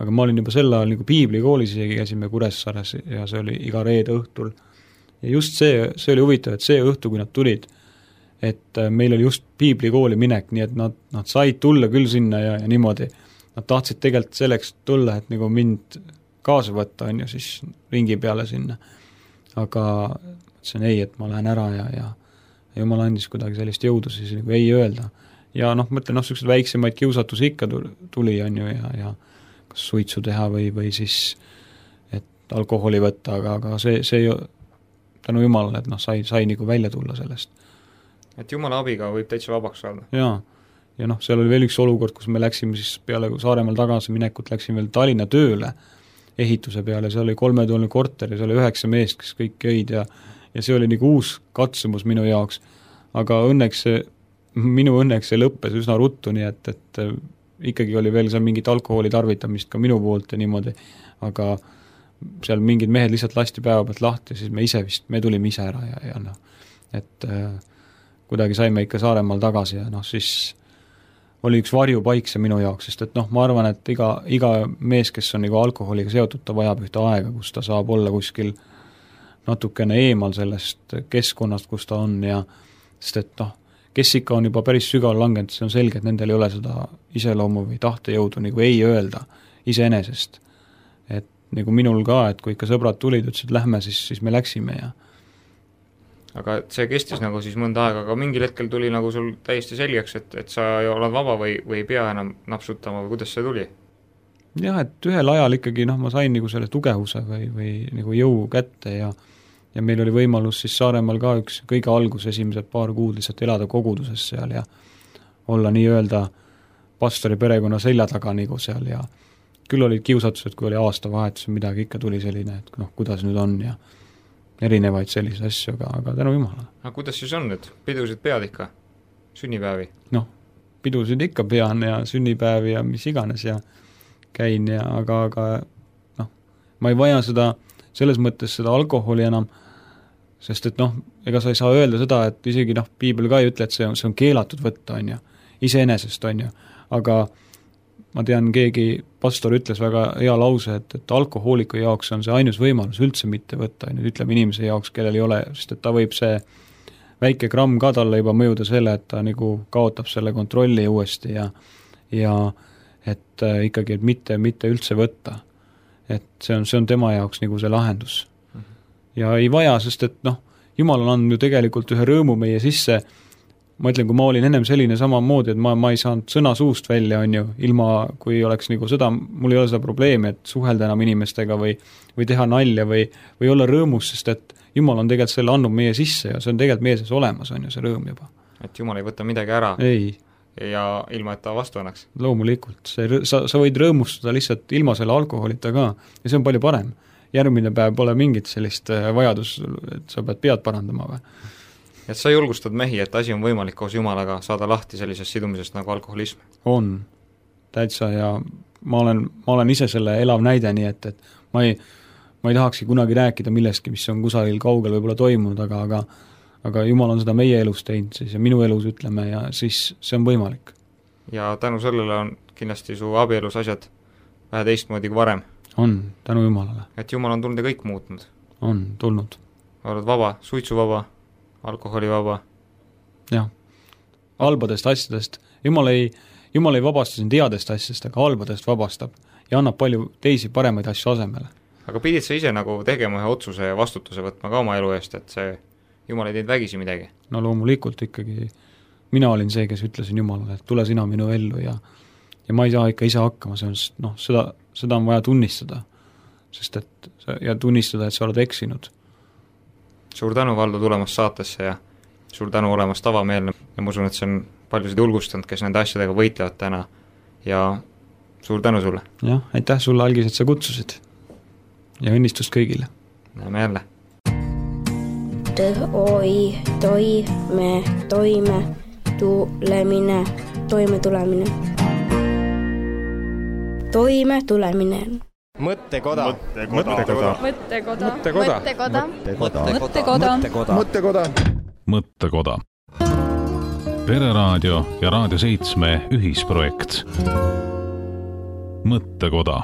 aga ma olin juba sel ajal nagu piiblikoolis isegi, käisime Kuressaares ja see oli iga reede õhtul. Ja just see, see oli huvitav, et see õhtu, kui nad tulid, et meil oli just piiblikooli minek, nii et nad, nad said tulla küll sinna ja, ja niimoodi. Nad tahtsid tegelikult selleks tulla, et nagu mind kaasa võtta, on ju, siis ringi peale sinna. Aga ütlesin ei, et ma lähen ära ja, ja Jumal andis kuidagi sellist jõudu siis nagu ei öelda. Ja noh, mõtlen, noh, sellised väiksemaid kiusatusi ikka tuli, on ju, ja, ja kas suitsu teha või, või siis, et alkoholi võtta, aga, aga see, see ju tänu Jumalale, et noh, sai, sai nagu välja tulla sellest. Et Jumala abiga võib täitsa vabaks saada. Jaa, ja noh, seal oli veel üks olukord, kus me läksime siis peale Saaremaal tagasi minekut, läksime veel Tallinna tööle ehituse peale, seal oli kolmetoaline korter ja seal oli üheksa meest, kes kõik jõid ja ja see oli nagu uus katsumus minu jaoks, aga õnneks see, minu õnneks see lõppes üsna ruttu, nii et, et ikkagi oli veel seal mingit alkoholi tarvitamist ka minu poolt ja niimoodi, aga seal mingid mehed lihtsalt lasti päeva pealt lahti ja siis me ise vist, me tulime ise ära ja, ja noh, et äh, kuidagi saime ikka Saaremaal tagasi ja noh, siis oli üks varjupaik see minu jaoks, sest et noh, ma arvan, et iga, iga mees, kes on nagu alkoholiga seotud, ta vajab ühte aega, kus ta saab olla kuskil natukene eemal sellest keskkonnast, kus ta on ja sest et noh, kes ikka on juba päris sügaval langenud, see on selge, et nendel ei ole seda iseloomu või tahtejõudu nagu ei öelda iseenesest. Et nagu minul ka, et kui ikka sõbrad tulid, ütlesid, et lähme, siis, siis me läksime ja aga see kestis nagu siis mõnda aega, aga mingil hetkel tuli nagu sul täiesti selgeks, et, et sa oled vaba või, või ei pea enam napsutama või kuidas see tuli? Jah, et ühel ajal ikkagi noh, ma sain nagu selle tugevuse või, või nagu jõu kätte ja ja meil oli võimalus siis Saaremaal ka üks kõige algus esimesed paar kuud lihtsalt elada koguduses seal ja olla nii-öelda pastori perekonna selja taga nagu seal ja küll olid kiusatused, kui oli aastavahetus ja midagi ikka tuli selline, et noh, kuidas nüüd on ja erinevaid selliseid asju, aga, aga tänu Jumalale. Aga kuidas siis on nüüd? Pidusid pead ikka? Sünnipäevi? Noh, pidusid ikka pean ja sünnipäevi ja mis iganes ja käin ja aga, aga noh, ma ei vaja seda, selles mõttes seda alkoholi enam, sest et noh, ega sa ei saa öelda seda, et isegi noh, piibel ka ei ütle, et see on, see on keelatud võtta, on ju, iseenesest, on ju, aga ma tean, keegi pastor ütles väga hea lause, et, et alkohooliku jaoks on see ainus võimalus üldse mitte võtta, on ju, ütleme inimese jaoks, kellel ei ole, sest et ta võib see väike gramm ka talle juba mõjuda selle, et ta nagu kaotab selle kontrolli uuesti ja ja et äh, ikkagi, et mitte, mitte üldse võtta. Et see on, see on tema jaoks nagu see lahendus. Ja ei vaja, sest et noh, Jumal on andnud ju tegelikult ühe rõõmu meie sisse, ma ütlen, kui ma olin ennem selline samamoodi, et ma, ma ei saanud sõna suust välja, on ju, ilma, kui oleks nagu seda, mul ei ole seda probleemi, et suhelda enam inimestega või, või teha nalja või, või olla rõõmus, sest et Jumal on tegelikult selle andnud meie sisse ja see on tegelikult meie sees olemas, on ju see rõõm juba. Et Jumal ei võta midagi ära? Ei. Ja ilma, et ta vastu annaks? Loomulikult, see, sa, sa võid rõõmustada lihtsalt ilma selle alkoholita ka ja see on palju parem. Järgmine päev pole mingit sellist vajadus, et sa pead pead parandama või? Et sa julgustad mehi, et asi on võimalik koos Jumalaga saada lahti sellisest sidumisest nagu alkoholism? On, täitsa ja ma olen, ma olen ise selle elav näide, nii et, et ma ei, ma ei tahakski kunagi rääkida millestki, mis on kusagil kaugel võib-olla toimunud, aga, aga aga Jumal on seda meie elus teinud siis ja minu elus ütleme ja siis see on võimalik. Ja tänu sellele on kindlasti su abielus asjad vähe teistmoodi kui varem? On, tänu Jumalale. Et Jumal on tulnud ja kõik muutnud? On, tulnud. Oled vaba, suitsuvaba, alkoholivaba? Jah, halbadest asjadest. Jumal ei, Jumal ei vabasta sind headest asjadest, aga halbadest vabastab ja annab palju teisi paremaid asju asemele. Aga pidid sa ise nagu tegema ühe otsuse ja vastutuse võtma ka oma elu eest, et see Jumal ei teinud vägisi midagi? No loomulikult ikkagi mina olin see, kes ütlesin Jumalale, et tule sina minu ellu ja, ja ma ei saa ikka ise hakkama, see on, noh, seda, seda on vaja tunnistada, sest et ja tunnistada, et sa oled eksinud. Suur tänu, Valdo, tulemast saatesse ja suur tänu olemast avameelne ja ma usun, et see on paljusid julgustanud, kes nende asjadega võitlevad täna ja suur tänu sulle! jah, aitäh sulle, Algis, et sa kutsusid ja õnnistust kõigile! Näeme jälle! Tõ, oi, toi, me, toime, tulemine, toime tulemine. Toime tulemine. Mõttekoda. Mõttekoda. Mõttekoda. Mõttekoda. Mõttekoda. Mõttekoda. Mõttekoda. Pereraadio ja Raadio seitsme ühisprojekt. Mõttekoda.